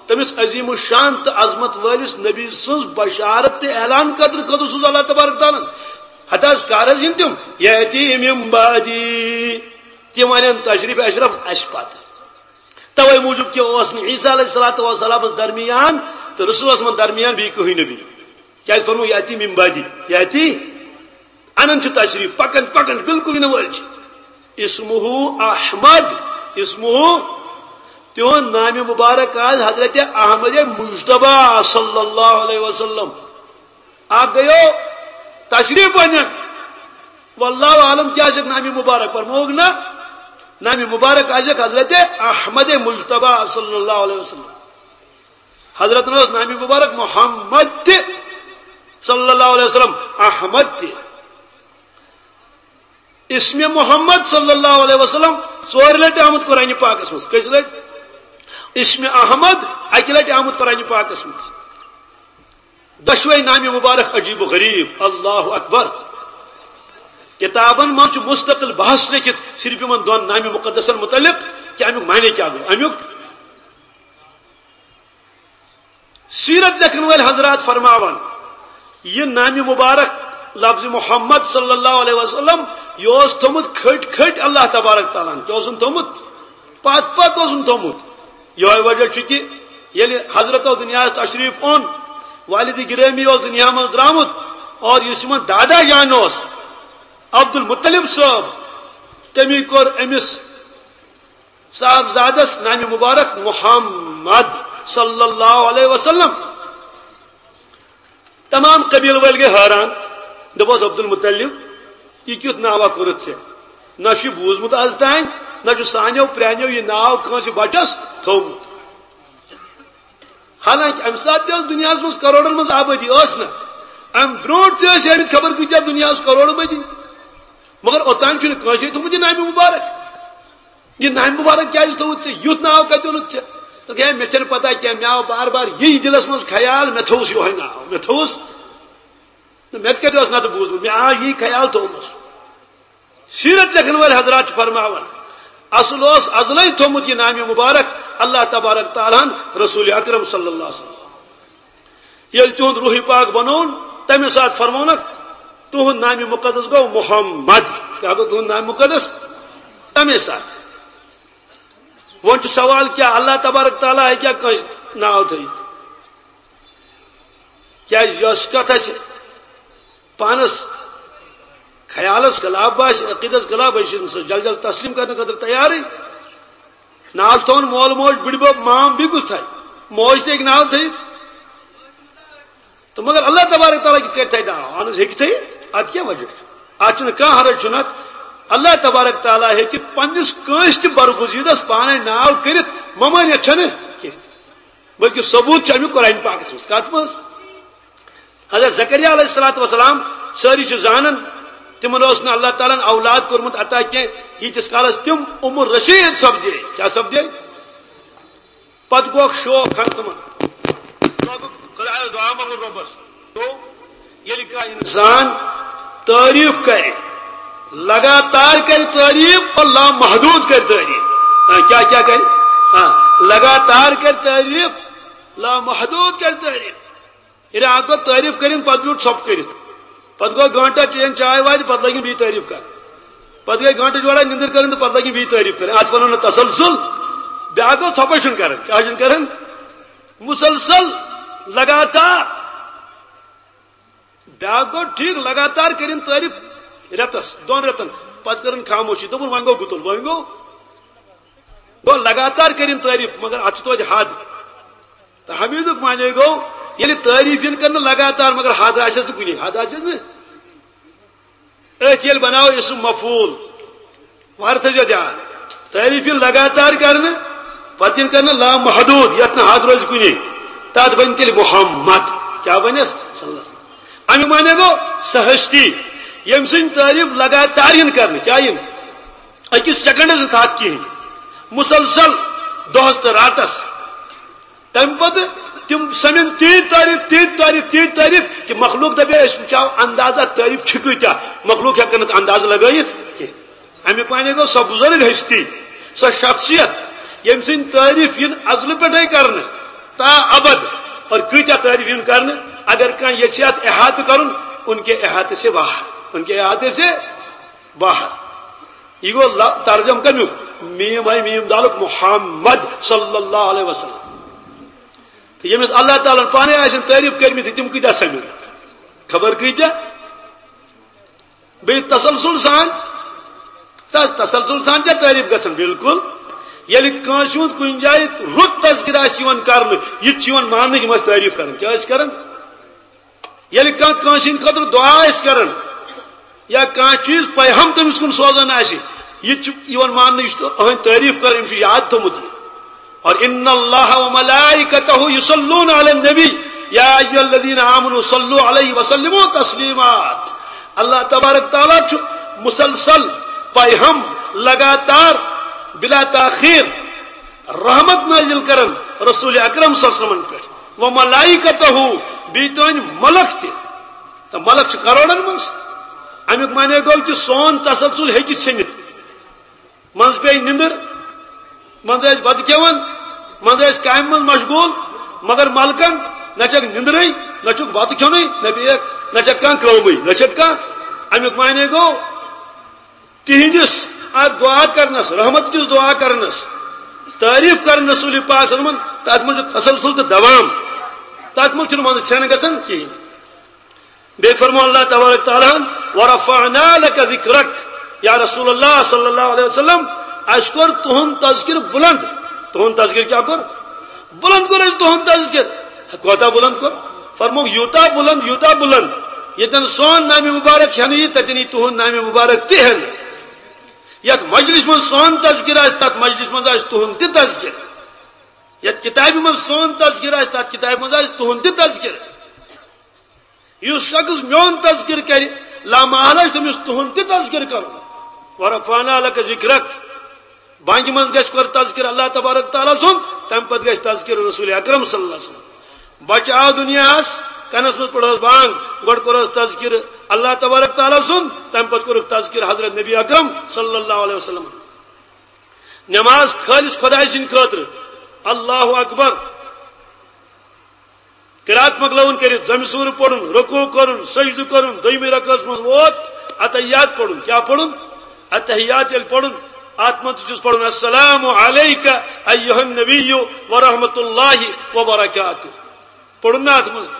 تٔمِس عظیم الشان تہٕ عظمت وٲلِس نبی سٕنٛز بشارت تہٕ اعلان کرنہٕ خٲطرٕ سوٗز اللہ تبارک تعالیٰ ہن۔ ہتہٕ حظ کر حظ یِن تِم؟ یأتی من بعدی۔ تِم انن تشریف اشرف اسہِ پتہٕ۔ توے موٗجوٗب کہِ اوس نہٕ عیسیٰ علیہ الصلوۃ والسلامس درمیان تہٕ رسولس منٛز درمیان بیٚیہِ کٕہٕنۍ نبی۔ کیازِ فرمو یأتی من بعدی؟ یأتی، انان چھُ تشریف، پکان پکان، بالکل یِنہٕ وٲلۍ چھِ۔ اسمہ احمد، اسمہ، تِہُنٛد نامِ مبارک آز حضرت احمد مجتبیٰ صلی اللہ علیہ وسلم۔ اکھ گٔیو تشریف انن۔ واللہ عالم کیا آسہِ نامِ مبارک، فرمووُکھ نہ، نامِ مبارک آسہِ حضرت احمد مجتبیٰ صلی اللہ علیہ وسلم۔ حضرت اوس نامِ مبارک محمد تہِ صلی اللہ علیہ وسلم، احمد تہِ۔ اسمِ محمد صلی اللہ علیہ وسلم ژورِ لٹہِ آمُت قرآنِ پاکس منٛز۔ کٔژِ لٹہِ؟ اسمِ احمد اکہِ لٹہِ آمُت قرآنِ پاکس منٛز۔ دۄشوے نامِ مبارک عجیب و غریب۔ اللہ اکبر۔ کتابن منٛز چھُ مستقل بحث لیکھِتھ صرف یِمن دۄن نامِ مقدسن متعلق کہِ امیُک معنی کیٛاہ گوٚو۔ امیُک، سیرت لیکھن وٲلۍ حضرات فرماوان، یہِ نامِ مبارک لفظِ محمد صلی اللہ علیہ وسلم، یہِ اوس تھوٚمُت کھٔٹۍ کھٔٹۍ اللہ تبارک تعالیٰ ہن۔ کیٛاہ اوسُن تھوٚمُت؟ پتھ پتھ اوسُن تھوٚمُت۔ یِہوٚے وجہ چھُ کہِ ییٚلہِ حضرتو دُنیاہس تشریف اوٚن، والدِ گرامی اوس دُنیا منٛز درٛامُت، اور یُس یِمن دادا جان اوس، عبدالمطلب صٲب، تٔمی کوٚر أمِس صاحبزادس نامِ مبارک محمد صلی اللہ علیہ وسلم۔ تمام قبیلہٕ وٲلۍ گٔے حٲران، دوٚپُس، "عبدالمطلب، یہِ کیُتھ ناوا کوٚرُتھ ژےٚ؟ نہ چھُ بوٗزمُت از تام، نہ چھُ سانیو پرٛانیو یہِ ناو کٲنٛسہِ بچس تھوٚومُت۔" حالانکہ امہِ ساتہٕ تہِ ٲس دُنیاہس منٛز کرورن منٛز آبٲدی، ٲس نہ؟ امہِ برونٛٹھ تہِ ٲسۍ ٲمٕتۍ خبر کۭتیاہ دُنیاہس کرورٕ بٔدی، مگر اوٚتام چھُنہٕ کٲنٛسے تھوٚمُت یہِ نامِ مبارک۔ یہِ نامِ مبارک کیٛازِ تھوٚوُتھ ژےٚ؟ یُتھ ناو کتہِ اوٚنُتھ ژےٚ؟ دوٚپُکھ، "ہے، مےٚ چھَنہٕ پتہ کینٛہہ، مےٚ آو بار بار یی دِلس منٛز خیال، مےٚ تھوٚوُس یِہوٚے ناو، مےٚ تھوٚوُس۔ مےٚ تہِ کتہِ اوس نتہٕ بوٗزمُت، مےٚ آو یی خیال، تھوٚومُس۔" سیرت لیکھن وٲلۍ حضرات چھِ فرماوان، اصل اوس ازلے تھوٚمُت یہِ نامِ مبارک اللہ تبارک تعالیٰ ہن رسول اکرم صلی اللہ علیہ وسلم۔ ییٚلہِ تِہُنٛد روحِ پاک بنووُن، تَمے ساتہٕ فرمونکھ، "تُہُنٛد نامِ مُقدس گوٚو محمد۔" کیٛاہ گوٚو تُہُنٛد نامِ مُقدس؟ تَمے ساتہٕ۔ وۄنۍ چھُ سوال، کیٛاہ اللہ تبارک تعالیٰ ہیٚکیٛاہ کٲنٛسہِ ناو تھٲوِتھ؟ کیٛازِ یۄس کتھ اَسہِ پانس خیالس خلاف باسہِ، عقیدس خلاف، أسۍ چھِنہٕ سُہ جل جل تسلیم کرنہٕ خٲطرٕ تیارٕے۔ ناو چھُ تھاوان مول موج، بٕڈبب، مام، بیٚیہِ کُس تھاوِ؟ موج تہِ ہیٚکہِ ناو تھٲیِتھ۔ تہٕ مگر اللہ تبارک تعالیٰ کِتھ کٲٹھۍ تھاوِ ناو؟ اہن حظ، ہیٚکہِ تھٲیِتھ۔ اتھ کیٛاہ وجہ چھُ؟ اتھ چھُنہٕ کانٛہہ حرج چھُنہٕ اتھ۔ اللہ تبارک تعالیٰ ہیٚکہِ پننِس کٲنٛسہِ تہِ برگزیدس پانے ناو کٔرِتھ، ممٲنیت چھنہٕ کینٛہہ، بلکہِ ثبوت چھُ امیُک قرآن پاکس منٛز۔ کتھ منٛز؟ حضرت زکریا علیہ الصلوۃ والسلام، سٲری چھِ زانان، تِمن اوس نہٕ اللہ تعالیٰ ہن اولاد کوٚرمُت عطا کینٛہہ، ییٖتِس کالس تِم عمر رشید سپدے۔ کیٛاہ سپدے؟ پتہٕ گوٚکھ شوق ہن تِمن۔ خدایس دعا منٛگُن رۄبس۔ گوٚو، ییٚلہِ کانٛہہ انسان تعریف کرِ، لگاتار کرِ تعریف اور لامحدود کرِ تعریف۔ ہاں، کیٛاہ کیٛاہ کرِ؟ ہاں، لگاتار کرِ تعریف، لامحدود کرِ تعریف۔ ییٚلہِ اکھ دۄہ تعریف کٔرِن، پتہٕ بیوٗٹھ ژھۄپہٕ کٔرِتھ۔ پتہٕ گوٚو گٲنٹہ چیٚیَن چاے واے تہٕ پتہٕ لٲگِن بیٚیہِ تعریف کرٕنۍ۔ پتہٕ گٔے گٲنٹہٕ جوڑا نِندٕر کٔرٕنۍ تہٕ پتہٕ لٲگِن بیٚیہِ تعریف کرٕنۍ۔ اتھ ونو نہٕ تسلسل۔ بیاکھ گوٚو ژھۄپے چھُنہٕ کران۔ کیٛاہ چھُنہٕ کران؟ مسلسل، لگاتار۔ بیاکھ گوٚو ٹھیٖک، لگاتار کٔرِن تعریف رٮ۪تس، دۄن رٮ۪تن، پتہٕ کٔرٕن خاموشی، دوٚپُن، "وۄنۍ گوٚو گُتُل، وۄنۍ گوٚو۔" گوٚو لگاتار کٔرِن تعریف، مگر اتھ چھُ توتہِ حد۔ تہٕ حمیدُک معنی گوٚو، ییٚلہِ تعریف یِن کرنہٕ لگاتار، مگر حد آسٮ۪س نہٕ کُنی، حد آسٮ۪س نہٕ۔ أتھۍ ییٚلہِ بناوو اسم مفعول، وارٕ تھٲیزیو دھیان، تعریف یِن لگاتار کرنہٕ، پتہٕ یِن کرنہٕ لامحدود، یتھ نہٕ حد روزِ کُنی، تتھ بنہِ تیٚلہِ محمد۔ کیٛاہ بنٮ۪س؟ صلی اللہ علیہ وسلم۔ امیُک معنی گوٚو، سۄ ہستی، ییٚمہِ سٕنٛز تعریف لگاتار یِن کرنہٕ۔ کیٛاہ یِن؟ أکِس سیکنڈس نہٕ تھکھ کِہیٖنۍ، مسلسل، دۄہس تہٕ راتس۔ تمہِ پتہٕ تِم سمن تیٖتۍ تعریف، تیٖتۍ تعریف، تیٖتۍ تعریف کہِ مخلوق دپہِ، "أسۍ وٕچھو اندازہ تعریف چھِ کۭتیاہ۔" مخلوق ہٮ۪کن نہٕ اندازہ لگٲیِتھ کینٛہہ۔ امیُک معنی گوٚو، سۄ بُزرگ ہستی، سۄ شخصیت، ییٚمہِ سٕنٛدۍ تعریف یِن ازلہٕ پٮ۪ٹھے کرنہٕ تا ابد، اور کۭتیاہ تعریف یِن کرنہٕ، اگر کانٛہہ یژھِ اتھ احاطہٕ کرُن، ان کے احاطے سے باہر، ان کے احاطے سے باہر۔ یہِ گوٚو ل-، ترجمہٕ کمیُک؟ میم ہے میم دالُک، محمد صلی اللہ علیہ وسلم۔ تہٕ ییٚمِس اللہ تعالیٰ ہن پانے آسن تعریف کٔرمٕتۍ، تِم کۭتیاہ سمن؟ خبر کۭتیاہ؟ بیٚیہِ تسلسل سان، تس-، تسلسل سان چھا تعریف گژھان؟ بالکل۔ ییٚلہِ کٲنٛسہِ ہُنٛد کُنہِ جایہِ رُت تذکرٕ آسہِ یِوان کرنہٕ، یہِ تہِ چھُ یِوان ماننہٕ، یِم ٲسۍ تعریف کران۔ کیٛاہ ٲسۍ کران؟ ییٚلہِ کانٛہہ کٲنٛسہِ ہٕنٛدِ خٲطرٕ دُعا آسہِ کران یا کانٛہہ چیٖز پیغام تٔمِس کُن سوزان آسہِ، یہِ تہِ چھُ یِوان ماننہٕ، یہِ چھُ أہٕنٛدۍ تعریف کران، أمِس چھُ یاد تھوٚمُت یہِ۔ اور ان اللہ و ملائکتہ یصلون علی النبی یا ایھا الذین آمنوا صلوا علیہ وسلموا تسلیما۔ اللہ تبارک تعالیٰ چھُ مسلسل، پیغام، لگاتار، بلا تاخیر رحمت نازل کران رسول اکرم صلی اللہ علیہ وسلمن پٮ۪ٹھ، و ملائکتہ، بیٚیہِ تُہنٛدۍ ملک تہِ۔ تہٕ ملک چھِ کرورن منٛز۔ امیُک معنی گوٚو کہِ سون تسلسل ہیٚکہِ ژھیٚنِتھ۔ منٛزٕ پیٚیہِ نِندٕر، منٛزٕ ٲسۍ بتہٕ کھٮ۪وان، منٛزٕ ٲسۍ کامہِ منٛز مشغول، مگر ملکن نہ چھکھ نندرے، نہ چھکھ بتہٕ کھیونٕے، نہ بیٚیہِ نہ چھکھ کانٛہہ کٲمٕے، نہ چھکھ کانٛہہ۔ امیُک معنی گوٚو، تِہنٛدِس اتھ دعا کرنس، رحمت کِس دعا کرنس، تعریف کرنس رسول پاک صلی اللہ علیہ وسلم، تتھ منٛز چھُ تسلسل تہٕ دوام، تتھ منٛز چھُنہٕ منٛزٕ ژھٮ۪ن گژھان کِہیٖنۍ۔ بیٚیہِ فرموو اللہ تبارک تعالیٰ ہن، "ورفعنا لك ذكرك"، یا رسول اللہ صلی اللہ علیہ وسلم، اسہِ کوٚر تُہُنٛد تذکر بلند۔ تُہُنٛد تذکر کیٛاہ کوٚر؟ بلند کوٚر اسہِ تُہُنٛد تذکر۔ کوتاہ بلند کوٚر؟ فرمووُکھ، یوٗتاہ بلند، یوٗتاہ بلند، ییٚتٮ۪ن سون نامِ مبارک ہٮ۪نہٕ یی، تتٮ۪ن یی تُہُنٛد نامِ مبارک تہِ ہٮ۪نہٕ۔ یتھ مجلس منٛز سون تذکر آسہِ، تتھ مجلس منٛز آسہِ تُہُنٛد تہِ تذکر۔ یتھ کتابہِ منٛز سون تذکر آسہِ، تتھ کتابہِ منٛز آسہِ تُہُنٛد تہِ تذکر۔ یُس شخص میون تذکر کرِ، لامحالہ چھُ تٔمِس تُہُنٛد تہِ تذکر کرُن۔ "ورفعنا لك ذكرك"۔ بانگہِ منٛز گژھِ گۄڈٕ تذکر اللہ تبارک تعالیٰ سُنٛد، تمہِ پتہٕ گژھِ تذکر رسول اکرم صلی اللہ علیہ وسلم۔ بچہٕ آو دُنیاہس، کنس منٛز پٔرہوس بانگ، گۄڈٕ کوٚرہوس تذکر اللہ تبارک تعالیٰ سُنٛد، تمہِ پتہٕ کوٚرُکھ تذکر حضرت نبی اکرم صلی اللہ علیہ وسلم۔ نماز خٲلص خدایہِ سٕنٛدِ خٲطرٕ۔ اللہ اکبر۔ قرات مۄکلاوُن کٔرِتھ، زمہِ سوٗرٕ پوٚرُن، رکوع کوٚرُن، سجدٕ کوٚرُن، دوٚیمہِ رکعژ منٛز ووت، اتحیات پوٚرُن۔ کیٛاہ پوٚرُن؟ اتحیات ییٚلہِ پوٚرُن، اتھ منٛز تہِ چھُس پوٚرُن، "السلام علیک ایھا النبی ورحمۃ اللہ وبرکاتہ"۔ پوٚرُن نا اتھ منٛز تہِ؟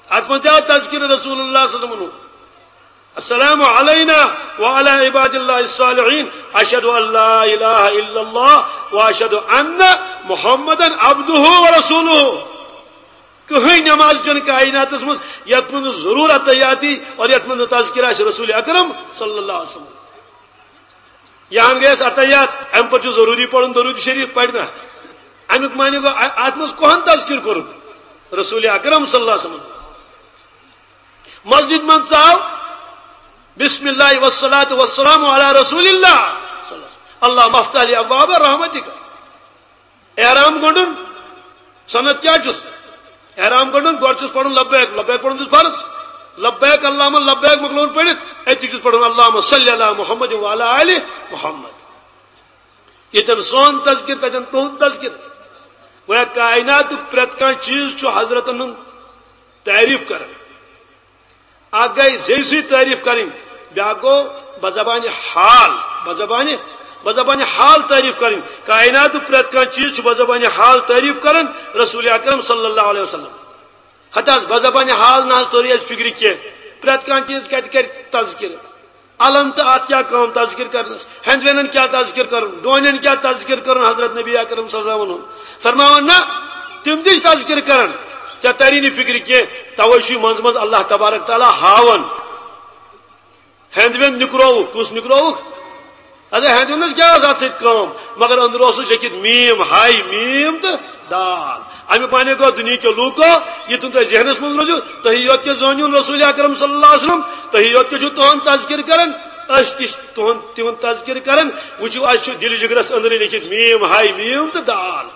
اتھ منٛز تہِ آو تذکر رسول اللہ صلی اللہ علیہ وسلم۔ "السلام علینا وعلی عباد اللہ الصالحین، اشہد ان لا الہ الا اللہ واشہد ان محمدا عبدہ ورسولہ"۔ کٕہٕنۍ نماز چھنہٕ کائناتس منٛز یتھ منٛز نہٕ ضرور اتحیاتی اور یتھ منٛز نہٕ تذکر آسہِ رسول اکرم صلی اللہ علیہ وسلم۔ یا ہم گٔیس اتحیات، امہِ پتہٕ چھُ ضروری پرُن درود شریف، پرِ نا؟ امیُک معنی گوٚو، ا-، اتھ منٛز کۄہن تذکر کوٚرُن؟ رسول اکرم صلی اللہ علیہ وسلم۔ مسجد منٛز ژاو، "بسم اللہ والصلاة والسلام علی رسول اللہ صلی اللہ علیہ وسلم، اللہم افتح لی ابواب رحمتک"۔ احرام گنڈُن، سنت کیٛاہ چھُس؟ احرام گنڈُن، گۄڈٕ چھُس پرُن لبیک، لبیک پرُن چھُس فرض۔ لبیک اللہم لبیک مۄکلووُن پٔرِتھ، أتی چھُس پرُن، "اللہم صلی علی محمد وعلی آل محمد"۔ ییٚتٮ۪ن سون تذکر، تتٮ۪ن تُہُنٛد تذکر۔ گویا کائناتُک پرٛٮ۪تھ کانٛہہ چیٖز چھُ حضرتن ہُنٛد تعریف کران۔ اکھ گٔے زیٚوِ سۭتۍ تعریف کرٕنۍ، بیٛاکھ گوٚو بزبانِ حال، بزبانِ، بزبانِ حال تعریف کرٕنۍ۔ کائناتُک پرٛٮ۪تھ کانٛہہ چیٖز چھُ بزبانِ حال تعریف کران رسول اکرم صلی اللہ علیہ وسلم۔ ہتہٕ حظ، بزبانِ حال نہ حظ توٚرُے اَسہِ فِکرِ کینٛہہ۔ پرٛٮ۪تھ کانٛہہ چیٖز کَتہِ کَرِ تذکِر؟ الن تہٕ اَتھ کیٛاہ کٲم تذکِر کَرنَس؟ ہٮ۪نٛدوٮ۪نَن کیٛاہ تذکِر کَرُن؟ ڈوٗنٮ۪ن کیٛاہ تذکِر کَرُن؟ حضرت نبی اکرم صلی اللہ علیہ وسلم ووٚنُن، فرماوان، نہ، تِم تہِ چھِ تذکِر کَران۔ ژےٚ تَری نہٕ فِکرِ کینٛہہ، تَوَے چھُے منٛزٕ منٛزٕ اللہ تبارک تعالیٰ ہاوان۔ ہٮ۪نٛدوٮ۪نٛد نِکرووُکھ۔ کُس نِکرووُکھ؟ اَدٕ ہٮ۪نٛدوٮ۪نٛدَس کیٛاہ ٲس اَتھ سۭتۍ کٲم؟ مگر أنٛدرٕ اوسُس لیٚکھِتھ میٖم، ہاے میٖم تہٕ دال۔ اَمیُک معنی گوٚو، دُنیہِکیو لوٗکو، یہِ تُہۍ تۄہہِ ذہنَس منٛز روزِو، تُہی یوت کیٛاہ زٲنِوُن رسول اکرم صلی اللہ علیہ وسلم، تُہی یوت کیٛاہ چھُو تُہُنٛد تذکِر کران، أسۍ تہِ چھِ تُہُنٛد، تِہُنٛد تذکِر کران۔ وٕچھِو، اَسہِ چھُ دِلہِ جِگرَس أنٛدرٕ لیٚکھِتھ میٖم، ہاے میٖم تہٕ دال۔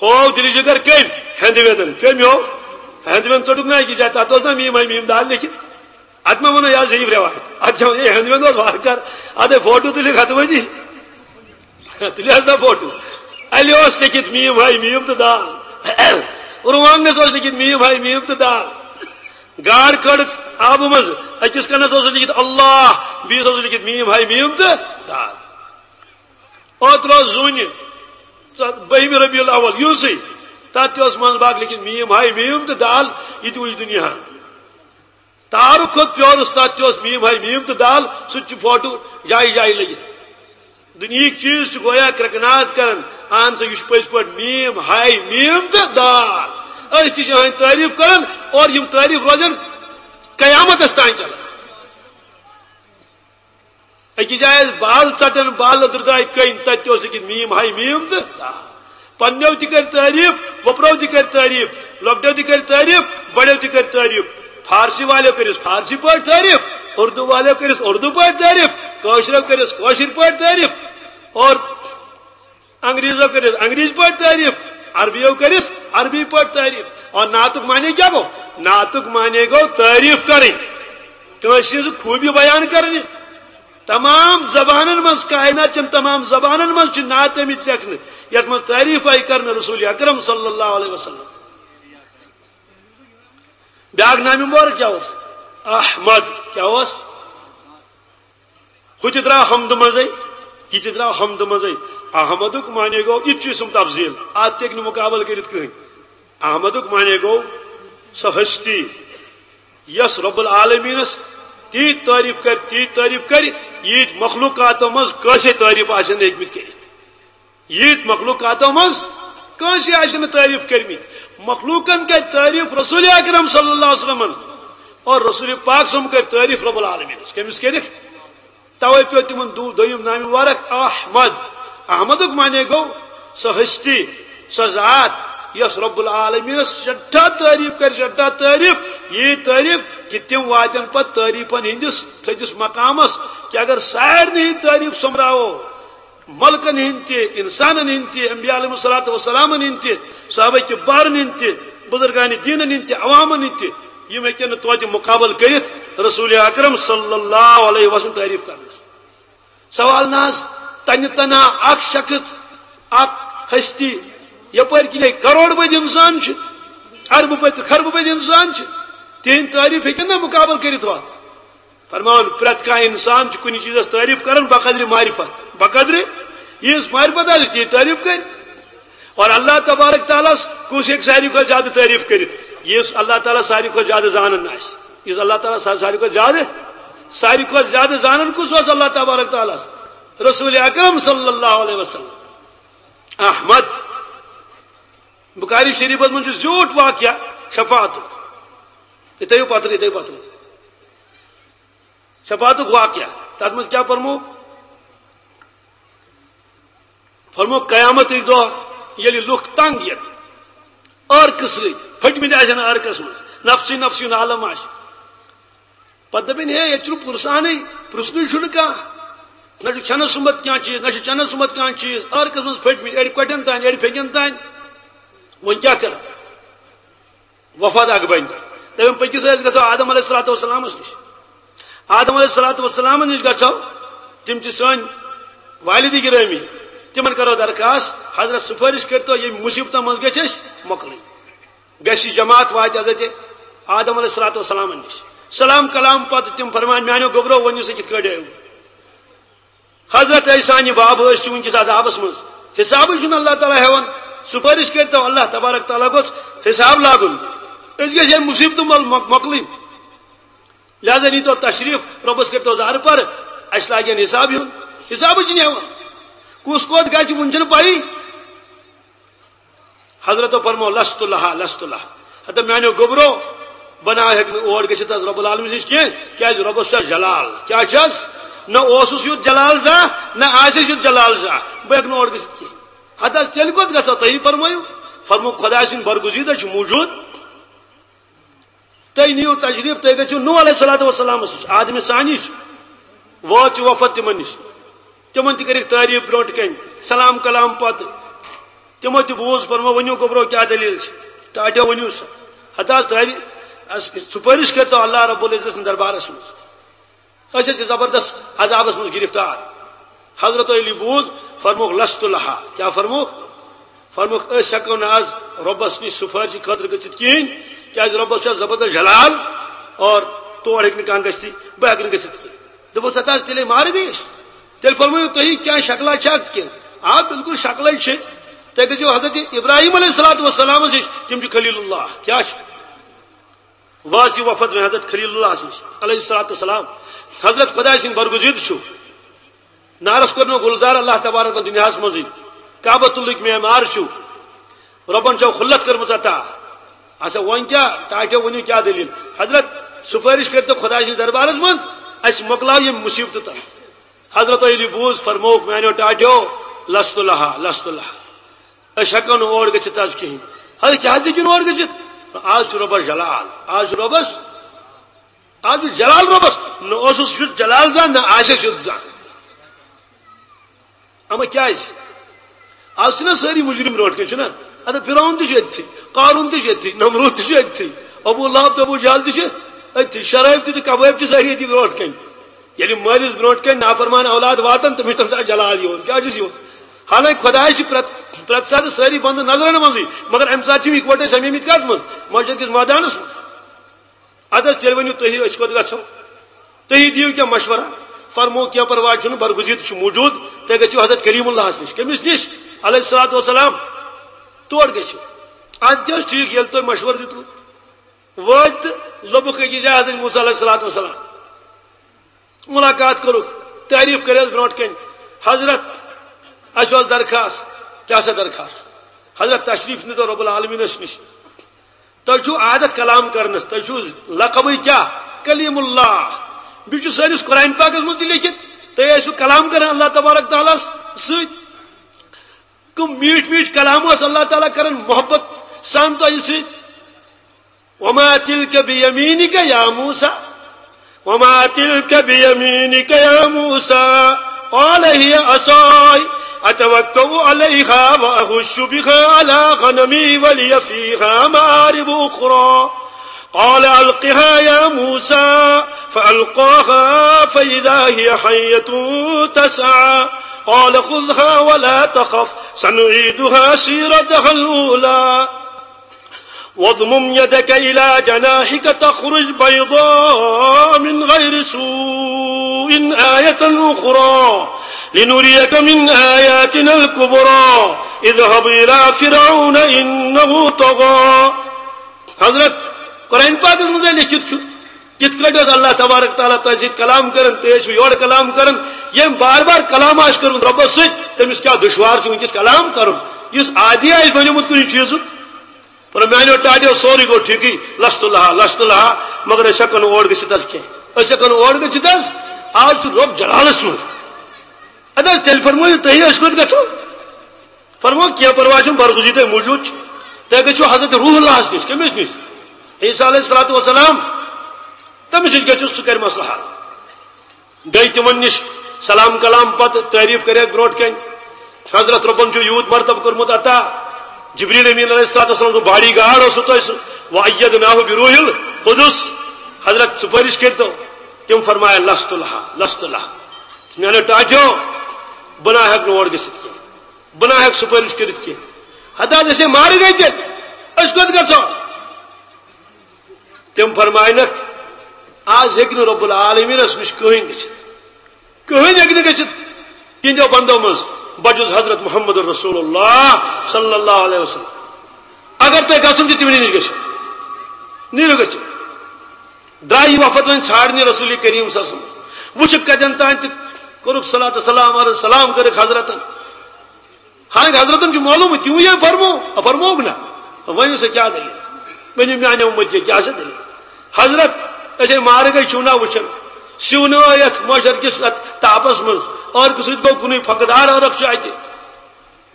ہو دِلہِ جِگر کٔمۍ؟ ہٮ۪نٛدوٮ۪نٛدَن۔ کٔمۍ ہو؟ ہٮ۪نٛدوٮ۪نٛد ژوٚٹُکھ نہ أکِس جایہِ، تَتھ اوس نہ میٖم ہاے میٖم دال لیٚکھِتھ۔ اتھ ما ونو، یہِ حظ عجیٖب رٮ۪وایت۔ اتھ چھا ونان، ہے، ہٮ۪نٛدوٮ۪نٛد اوس وارٕ کار۔ ادے فوٹو تُلِکھ ہتہٕ وٲدی۔ تُلِو حظ نہ فوٹو۔ الہِ اوس لیٚکھِتھ میٖم ہاے میٖم تہٕ دال۔ رُوانٛگنس اوس لیٚکھِتھ میٖم ہاے میٖم تہٕ دال۔ گاڈ کٔڑٕکھ آبہٕ منٛز، أکِس کنس اوس لیٚکھِتھ اللہ، بیٚیِس اوس لیٚکھِتھ میٖم ہاے میٖم تہٕ دال۔ اوترٕ اوس زوٗنہِ ژۄ-، بٔہمہِ ربیع الاول یِہُسٕے، تتھ تہِ اوس منٛز باگ لیٚکھِتھ میٖم ہاے میٖم تہٕ دال، یہِ تہِ وٕچھ دُنیاہن۔ تارُک کھوٚت پیورُس، تَتھ تہِ اوس میٖم ہاے میٖم تہٕ دال، سُہ تہِ چھُ فوٹو جایہِ جایہِ لٔگِتھ۔ دُنیہٕکۍ چیٖز چھِ گویا کرٛٮ۪کناد کران، اہن سا، یہِ چھُ پٔزۍ پٲٹھۍ میٖم ہاے میٖم تہٕ دال۔ أسۍ تہِ چھِ أہٕنٛدۍ تعریٖف کران اور یِم تعریٖف روزن قیامتس تام چلان۔ أکِس جایہِ ٲسۍ بال ژٹان، بال أدرٕ درٛاے کٔنۍ، تَتہِ تہِ اوس أکِس میٖم ہاے میٖم تہٕ دال۔ پننیو تہِ کٔرۍ تعریٖف، وۄپرو تہِ کٔرۍ تعریٖف، لۄکٹیو تہِ کٔرۍ تعریٖف، بڑیو تہِ کٔرۍ تعریٖف۔ فارسی والیو کٔرِس فارسی پٲٹھۍ تعریٖف، اردو والیو کٔرِس اردو پٲٹھۍ تعریٖف، کٲشریو کٔرِس کٲشِر پٲٹھۍ تعریٖف، اور انگریزو کٔرِس انگریز پٲٹھۍ تعریٖف، عربیو کٔرِس عربی پٲٹھۍ تعریٖف۔ اور نعتُک معنی کیٛاہ گوٚو؟ نعتُک معنی گوٚو تعریٖف کرٕنۍ، کٲنٛسہِ ہٕنٛز خوٗبی بیان کرٕنۍ۔ تمام زبانن منٛز، کائنات چٮ۪ن تمام زبانن منٛز چھِ نعت آمٕتۍ لیکھنہٕ، یتھ منٛز تعریٖف آیہِ کرنہٕ رسول اکرم صلی اللہ علیہ وسلم۔ بیاکھ نامہِ مبارک کیٛاہ اوس؟ احمد۔ کیٛاہ اوس؟ ہُہ تہِ درٛاو حمدٕ منٛزٕے، یہِ تہِ درٛاو حمدٕ منٛزٕے۔ احمدُک معنی گوٚو، یہِ تہِ چھُ اسم تفضیل، اتھ تہِ ہیٚکہِ نہٕ مُقابلہٕ کٔرِتھ کٕہٕنۍ۔ احمدُک معنی گوٚو سۄ ہستی، یۄس رب العالمینس تیٖژ تعریف کرِ، تیٖژ تعریف کرِ، ییٖتۍ مخلوقاتو منٛز کٲنٛسے تعریف آسن نہٕ ہیٚکمٕتۍ کٔرِتھ۔ ییٖتۍ مخلوقاتو منٛز کٲنٛسہِ آسہِ نہٕ تعریف کٔرمٕتۍ۔ مخلوقن کرِ تعریف رسول اکرم صلی اللہ علیہ وسلمن، اور رسول پاک صلی اللہ علیہ وسلم کرِ تعریف رب العالمینس۔ کٔمِس کٔرِکھ؟ توے پیوٚو تِمن دو-، دوٚیِم نامہِ مبارک احمد۔ احمدُک معنی گوٚو سۄ ہستی، سۄ ذات، یۄس رب العالمینس سٮ۪ٹھاہ تعریف کرِ، سٮ۪ٹھاہ تعریف، ییٖژ تعریف کہِ تِم واتن پتہٕ تعریفن ہٕنٛدِس تھٔدِس مقامس، کہِ اگر سارنٕے ہٕنٛز تعریف سۄمبراوو، ملکن ہٕنٛدۍ تہِ، انسانن ہٕنٛدۍ تہِ، انبیاء علیہم الصلوۃ والسلامن ہٕنٛدۍ تہِ، صحابہ کبارن ہٕنٛدۍ تہِ، بزرگان دینن ہٕنٛدۍ تہِ، عوامن ہٕنٛدۍ تہِ، یِم ہیٚکن نہٕ توتہِ مقابلہٕ کٔرِتھ رسول اکرم صلی اللہ علیہ وسلم تعریف کرنس۔ سوال نہ حظ، تنہِ تنہا اکھ شخص، اکھ ہستی، یپٲرۍ کِنۍ کروڑ بٔدۍ انسان چھِ، اربہٕ بٔدۍ تہٕ خربہٕ بٔدۍ انسان چھِ، تِہنٛدۍ تعریف ہیٚکن نہ مقابلہٕ کٔرِتھ وتھ؟ فرمان، پرٛٮ۪تھ کانٛہہ انسان چھُ کُنہِ چیٖزس تعریف کران بقدرِ معرفت، بقدرِ ییٖژ معرفت آسہِ، تی تعریف کرِ۔ اور اللہ تبارک تعالیٰ ہس کُس ہیٚکہِ ساروی کھۄتہٕ زیادٕ تعریف کٔرِتھ؟ یُس اللہ تعالیٰ ساروی کھۄتہٕ زیادٕ زانان آسہِ، یُس اللہ تعالیٰ سا-، ساروی کھۄتہٕ زیادٕ، ساروی کھۄتہٕ زیادٕ زانان کُس اوس اللہ تبارک تعالیٰ ہس؟ رسول اکرم صلی اللہ علیہ وسلم۔ احمد۔ بخاری شریفس منٛز چھُ زیوٗٹھ واقعہ شفاعتُک۔ یہِ تھٲیِو پتھرٕ، یہِ تھٲیِو پتھرٕ۔ شفاعتُک واقعہ، تتھ منٛز کیٛاہ فرموو؟ فرموو، قیامتٕکۍ دۄہ ییٚلہِ لُکھ تنگ یِن، عرقہٕ سۭتۍ، پھٔٹمٕتۍ آسن عرقس منٛز، نفسی نفسی ہُنٛد عالم آسہِ۔ پتہٕ دپن، ہے، ییٚتہِ چھُنہٕ پُرسانٕے، پرژھنُے چھُنہٕ کانٛہہ۔ نہ چھُ کھٮ۪نس سُمبتھ کانٛہہ چیٖز، نہ چھُ چٮ۪نس سُمبتھ کانٛہہ چیٖز، عرقس منٛز پھٔٹمٕتۍ، اڑِ کۄٹٮ۪ن تانۍ، اڑِ پھیٚکٮ۪ن تانۍ۔ وۄنۍ کیٛاہ کرو؟ وفد اکھ بنہِ۔ دپن، پٔکِو سا، أسۍ گژھو آدم علیہ الصلوۃ والسلامس نِش۔ آدم علیہ الصلوۃ والسلامس نِش گژھو، تِم چھِ سٲنۍ والد گرامی، تِمن کرو درخواست، حضرت سفٲرِش کٔرتو، ییٚمہِ مُصیبتن منٛز گژھِ أسۍ مۄکلٕنۍ۔ گژھِ یہِ جماعت واتہِ حضرت آدم علیہ الصلوۃ والسلامن نِش۔ سلام کلام پتہٕ تِم فرمان، میانیو گوٚبرو، ؤنِو سا کِتھ کٲٹھۍ آیوٕ؟ حضرت عیسیٰ نہِ باب، أسۍ چھِ وٕنکیٚس عذابس منٛز، حسابٕے چھُنہٕ اللہ تعالیٰ ہٮ۪وان، سفٲرِش کٔرتو، اللہ تبارک تعالیٰ گوٚژھ حساب لاگُن، أسۍ گژھِ ہے مُصیبتہٕ مۄل-، مۄک-، مۄکلٕنۍ۔ لہذا نیٖتو تشریف، رۄبس کٔرتو زارٕ پر، اسہِ لاگن حساب ہیوٚن، حسابٕے چھُنہٕ ہٮ۪وان، کُس کوٚت گژھِ وُنہِ چھُنہٕ پَیی۔ حضرتو فرمو، لست لہا، لست لہا۔ ہتہ میانیو گوٚبرو، بہٕ نہ ہیٚکہٕ نہٕ اور گٔژھِتھ حظ رب العالمین نِش کینٛہہ، کیازِ رۄبس چھُ جلال۔ کیٛاہ چھُ حظ؟ نہ اوسُس یُتھ جلال زانٛہہ، نہ آسٮ۪س یُتھ جلال زانٛہہ، بہٕ ہیٚکہٕ نہٕ اور گٔژھِتھ کینٛہہ۔ ہتہ حظ تیٚلہِ کوٚت گژھو؟ تُہی فرمٲیِو۔ فرموو، خۄداے سٕنٛدۍ برگزیدہ چھِ موجود۔ تُہۍ نِیِو تشریف، تُہۍ گٔژھِو نوح علیہ الصلوۃ والسلامس نِش، آدمِ ثانی چھِ۔ وٲژ یہِ وفد تِمن نِش۔ تِمن تہِ کٔرِکھ تعریف برونٛٹھ کنہِ، سلام کلام پتہٕ۔ تِمو تہِ بوٗز، فرموو، ؤنِو گوٚبرو، کیٛاہ دٔلیٖل چھِ؟ ٹاٹھیو، ؤنِو سا۔ ہتہٕ حظ تعریف، اس-، سُفٲرِش کٔرتو اللہ رب العزت سٕنٛدِس دربارس منٛز۔ أسۍ حظ چھِ زبردست عذابس منٛز گرفتار۔ حضرت علی بوٗز، فرمووُکھ، لست لہا۔ کیٛاہ فرمووُکھ؟ فرمووُکھ، أسۍ ہٮ۪کو نہٕ از رۄبس نِش سُفٲرشہِ خٲطرٕ گٔژھِتھ کِہیٖنۍ، کیٛازِ رۄبس چھُ زبردست جلال اور تور ہیٚکہِ نہٕ کانٛہہ گٔژھتھٕے، بہٕ ہٮ۪کہٕ نہٕ گٔژھِتھ کِہیٖنۍ۔ دوٚپُس، ہتا حظ تیٚلے مارٕ گٔے أسۍ۔ تیٚلہِ فرمٲیِو تُہی، کیٛاہ شکلہ چھا کِنہٕ؟ آ، بِلکُل شکلے چھِ۔ تُہۍ گٔژھِو حضرت ابراہیم علیہ الصلوۃ والسلامس نِش، تِم چھِ خلیل اللہ۔ کیٛاہ چھِ؟ وٲژ یہِ وفد وۄنۍ حضرت خلیل اللہ نِش علیہ الصلوۃ والسلام۔ حضرت خۄداے سٕنٛدۍ برگزیدٕ چھُ۔ نارس کوٚر نہٕ گُلزار اللہ تبارک و تعالیٰ دُنیاہس منٛزٕے۔ کعبۃ اللہٕکۍ معمار چھُ۔ رۄبن چھو خلت کٔرمٕژ عطا۔ اچھا، وۄنۍ کیٛاہ؟ ٹاٹھیو، ؤنِو کیٛاہ دٔلیٖل؟ حضرت، سُفٲرِش کٔرۍتو خۄداے سٕنٛدِس دربارس منٛز، اَسہِ مۄکلاو یِم مُصیبتہٕ تہٕ۔ حضرت علی بوٗز، فرمووُکھ، میٛانیو ٹاٹھیو، لست لہا، لست لہا۔ أسۍ ہٮ۪کو نہٕ اور گٔژھِتھ از کِہیٖنۍ۔ حضرت، کیٛازِ ہیٚکِو نہٕ اور گٔژھِتھ؟ از چھُ رۄبس جلال، از چھُ رۄبس، از چھُ جلال رۄبس۔ نہ اوسُس یُتھ جلال زانٛہہ، نہ آسٮ۪س یُتھ زانٛہہ۔ اما کیٛازِ؟ از چھِنہ سٲری مُجرِم برونٛٹھ کَنۍ، چھُنہ؟ اَدٕ فرعون تہِ چھُ أتھی، قارون تہِ چھُ أتھی، نمرود تہِ چھُ أتھی، ابو لہب تہٕ ابو جہل تہِ چھِ أتھی، شرٲبۍ تہِ تہٕ کبٲبۍ تہِ سٲری أتھی برونٛٹھ کَنۍ۔ ییٚلہِ مٲلِس برونٛٹھ کَنۍ نافرمان اولاد واتان، تٔمِس چھُ تَمہِ ساتہٕ جلال یِوان۔ کیٛاہ چھُس یِوان؟ حالانکہِ خۄدایَس چھِ پرٛٮ۪تھ، پرٛٮ۪تھ ساتہٕ سٲری بنٛدٕ نظرَن منٛزٕے، مگر اَمہِ ساتہٕ چھِ یِم یِکوَٹَے سَمیمٕتۍ کَتھ منٛز؟ مسجد کِس مٲدانَس منٛز۔ حضرت، تیٚلہِ ؤنِو تُہی، أسۍ کوٚت گژھو؟ تُہی دِیِو کینٛہہ مشورہ۔ فرموو، کینٛہہ پرواے چھُنہٕ، برگزید چھُ موجود، تُہۍ گٔژھِو حضرت کلیم اللہس نِش۔ کٔمِس نِش؟ علیہ الصلوۃ والسلام۔ تور گٔژھِو۔ اَدٕ کیٛاہ اوس ٹھیٖک، ییٚلہِ تۄہہِ مشورٕ دیُتوٕ، وٲتۍ تہٕ لوٚبُکھ أکِس جایہِ حضرت موسیٰ علیہ الصلوۃ والسلام۔ ملاقات کوٚرُکھ، تعریف کٔرِتھ برونٛٹھ کنہِ، حضرت، اسہِ اوس درخواست۔ کیٛاہ سا درخواست؟ حضرت، تشریف نِتو رب العالمینس نِش۔ تۄہہِ چھُو عادت کلام کرنس، تۄہہِ چھُو لقبٕے کیٛاہ؟ کلیم اللہ۔ بیٚیہِ چھُ سٲنِس قرآن پاکس منٛز تہِ لیکھِتھ، تُہۍ ٲسِو کلام کران اللہ تبارک تعالیٰ ہس سۭتۍ۔ کٕم میٖٹھۍ میٖٹھۍ کلام ٲس اللہ تعالیٰ کران محبت سان تۄہہِ سۭتۍ۔ وما تلك بيمينك يا موسى، وما تلك بيمينك يا موسى، قال هي عصاي أتوكأ عليها وأهش بها على غنمي ولي فيها مآرب أخرى، قال ألقها يا موسى، فألقاها فإذا هي حية تسعى، قال خذها ولا تخف سنعيدها سيرتها الأولى، واضمم يدك إلى جناحك تخرج بيضاء من غير سوء آية أخرى لنريك من آياتنا الكبرى، اذهب إلى فرعون إنه طغى۔ حضرت، قرآن پاکس منٛز لیکھِتھ چھُ، کِتھ کٲٹھۍ اوس اللہ تبارک تعالیٰ تۄہہِ سۭتۍ کلام کران، تُہۍ ٲسِو یورٕ کلام کران۔ ییٚمۍ بار بار کلام آسہِ کوٚرمُت رۄبس سۭتۍ، تٔمِس کیٛاہ دُشوار چھُ وٕنکیٚس کلام کرُن؟ یُس عادی آسہِ بنیومُت کُنہِ چیٖزُک۔ پر میانیو ٹاٹیو سورُے گوٚو ٹھیٖکٕے، لست لہا، لست لہا، مگر أسۍ ہٮ۪کو نہٕ اور گٔژھِتھ حظ کینٛہہ۔ أسۍ ہٮ۪کو نہٕ اور گٔژھِتھ حظ۔ آز چھُ رۄب جلالس منٛز۔ اَدٕ حظ، تیٚلہِ فرمٲیِو تُہی، أسۍ کوٚت گژھو؟ فرموو، کینٛہہ پرواے چھُنہٕ، برگزیدہ موجود چھُ۔ تُہۍ گٔژھِو حضرت روح اللہس نِش۔ کٔمِس نِش؟ عیسیٰ علیہ الصلوۃ والسلام۔ تٔمِس نِش گٔژھِو، سُہ کرِ مسلہٕ حل۔ گٔے تِمن نِش، سلام کلام پتہٕ تعریف کریکھ برونٛٹھ کنہِ۔ حضرت رۄبن چھُ یوٗت مرتبہٕ کوٚرمُت عطا۔ جبریل امین علیہ الصلوۃ والسلام سُنٛد باڈی گارڈ اوسوٕ تۄہہِ سُہ۔ وَأَيَّدْنَاهُ بِرُوحِ الْقُدُس۔ حضرت سُفٲرِش کٔرۍتو۔ تِم فرمایہِ، لست لہا، لست لہا۔ میانیو ٹاٹیو، بہٕ نہ ہٮ۪کہٕ نہٕ اور گٔژھِتھ کینٛہہ۔ بہٕ نہ ہٮ۪کہٕ سُفٲرِش کٔرِتھ کینٛہہ۔ ہتہٕ حظ، أسے مارٕ گٔے تیٚلہِ۔ أسۍ کوٚت گژھو؟ تِم فرماینکھ، از ہیٚکہِ نہٕ رب العالمینس نِش کٕہٕنۍ گٔژھِتھ۔ کٕہٕنۍ ہیٚکہِ نہٕ گٔژھِتھ۔ تِہنٛدیو بندو منٛز بجُز حضرت محمد رسول اللہ صلی اللہ علیہ وسلم۔ اگر تۄہہِ گژھُن چھُ، تِمنٕے نِش گٔژھِو۔ نیٖرِو گٔژھِو۔ درٛاے یہِ وفد وۄنۍ ژھانٛڈنہِ رسول کریم صلی اللہ علیہ وسلم۔ وٕچھِکھ کتٮ۪ن تام تہِ کوٚرُکھ صلات و سلام عرض، سلام کٔرٕکھ حضرتن۔ حالانکہ حضرتن چھُ معلوم، تِمو یہِ فرمو، فرمووُکھ نہ۔ ؤنِو سا کیٛاہ دٔلیٖل؟ ؤنِو میانہِ اُمتی کیٛاہ سا دٔلیٖل؟ حضرت، أسے مارٕ گٔے چھِو نہ وٕچھان۔ سِونہٕ ٲیتھ معاشر کِس اتھ تاپس منٛز، عٲرقہٕ سۭتۍ گوٚو کُنُے، پھۄکہٕ دار عٲرق چھُ اتہِ۔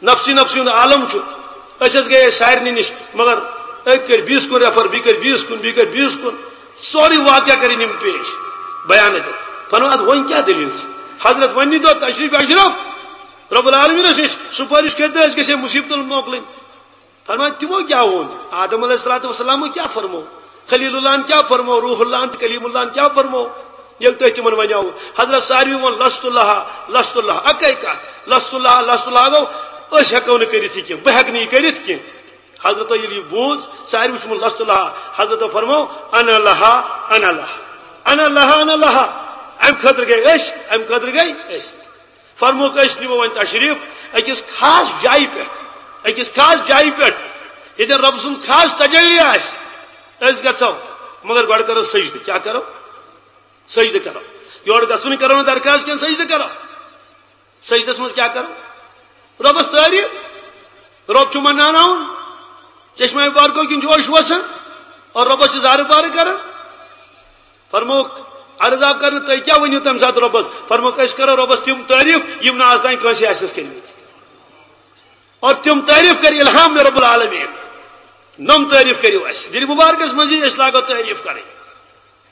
نفسی نفسی ہُنٛد عالم چھُ۔ أسۍ حظ گٔیے سارنٕے نِش، مگر أکۍ کٔرۍ بیٚیِس کُن ریفر، بیٚیہِ کٔرۍ بیٚیِس کُن، بیٚیہِ کٔرۍ بیٚیِس کُن۔ سورُے واقعہ کٔرِنۍ یِم پیش، بیان دِتھ۔ فرموو، ادٕ وۄنۍ کیٛاہ دٔلیٖل چھِ؟ حضرت، وۄنۍ نیٖتو تشریف اشرف رب العالمینس نِش، سُفٲرِش کٔرۍتو، أسۍ گژھِ ہے مصیبتن مۄکلٕنۍ۔ فرمایا، تِمو کیٛاہ ووٚن؟ آدم علیہ الصلوۃ والسلام کیٛاہ فرمو؟ خلیل اللہن کیٛاہ فرمو؟ روح اللہن تہٕ کلیم اللہن کیٛاہ فرمو؟ ییٚلہِ تۄہہِ تِمن ونیاوُ، حضرت ساروی ووٚن، لست لہا، لست لہا، اکے کتھ، لست لہا، لست لہا گوٚو، أسۍ ہٮ۪کو نہٕ کٔرِتھ یہِ کینٛہہ، بہٕ ہٮ۪کہٕ نہٕ یہِ کٔرِتھ کینٛہہ۔ حضرتو ییٚلہِ یہِ بوٗز، ساروی ووٚن، لست لہا۔ حضرتو فرمو، انا لہا، انا لہا، انا لہا، انا لہا۔ امہِ خٲطرٕ گٔے أسۍ، امہِ خٲطرٕ گٔے أسۍ۔ فرمووُکھ، أسۍ نِمو وۄنۍ تشریف أکِس خاص جایہِ پٮ۪ٹھ، أکِس خاص جایہِ پٮ۪ٹھ، ییٚتٮ۪ن رۄب سُنٛد خاص تجلی آسہِ۔ أسۍ گژھو، مگر گۄڈٕ کرو سجدٕ۔ کیٛاہ کرو؟ سجدٕ کرو۔ یورٕ گژھُن کرو نہٕ درخواست کینٛہہ، سجدٕ کرو۔ سجدس منٛز کیٛاہ کرو؟ رۄبس تعریف۔ رۄب چھُ مناوناوُن، چشمہ مبارکو کِنۍ چھُ اوٚش وسان اور رۄبس چھِ زارٕ پارٕ کران۔ فرمووُکھ، عرض آو کرنہٕ، تُہۍ کیٛاہ ؤنِو تَمہِ ساتہٕ رۄبَس؟ فرمووُکھ، أسۍ کرو رۄبَس تِم تعریٖف، یِم نہٕ آز تام کٲنٛسہِ آسہِ نَس کٔرمٕتۍ۔ اور تِم تعریٖف کَرِ الہام مےٚ رب العالمین۔ نۄم تعریٖف کٔرِو اَسہِ۔ دِلہِ مُبارکَس منٛز یی، أسۍ لاگو تعریٖف کَرٕنۍ۔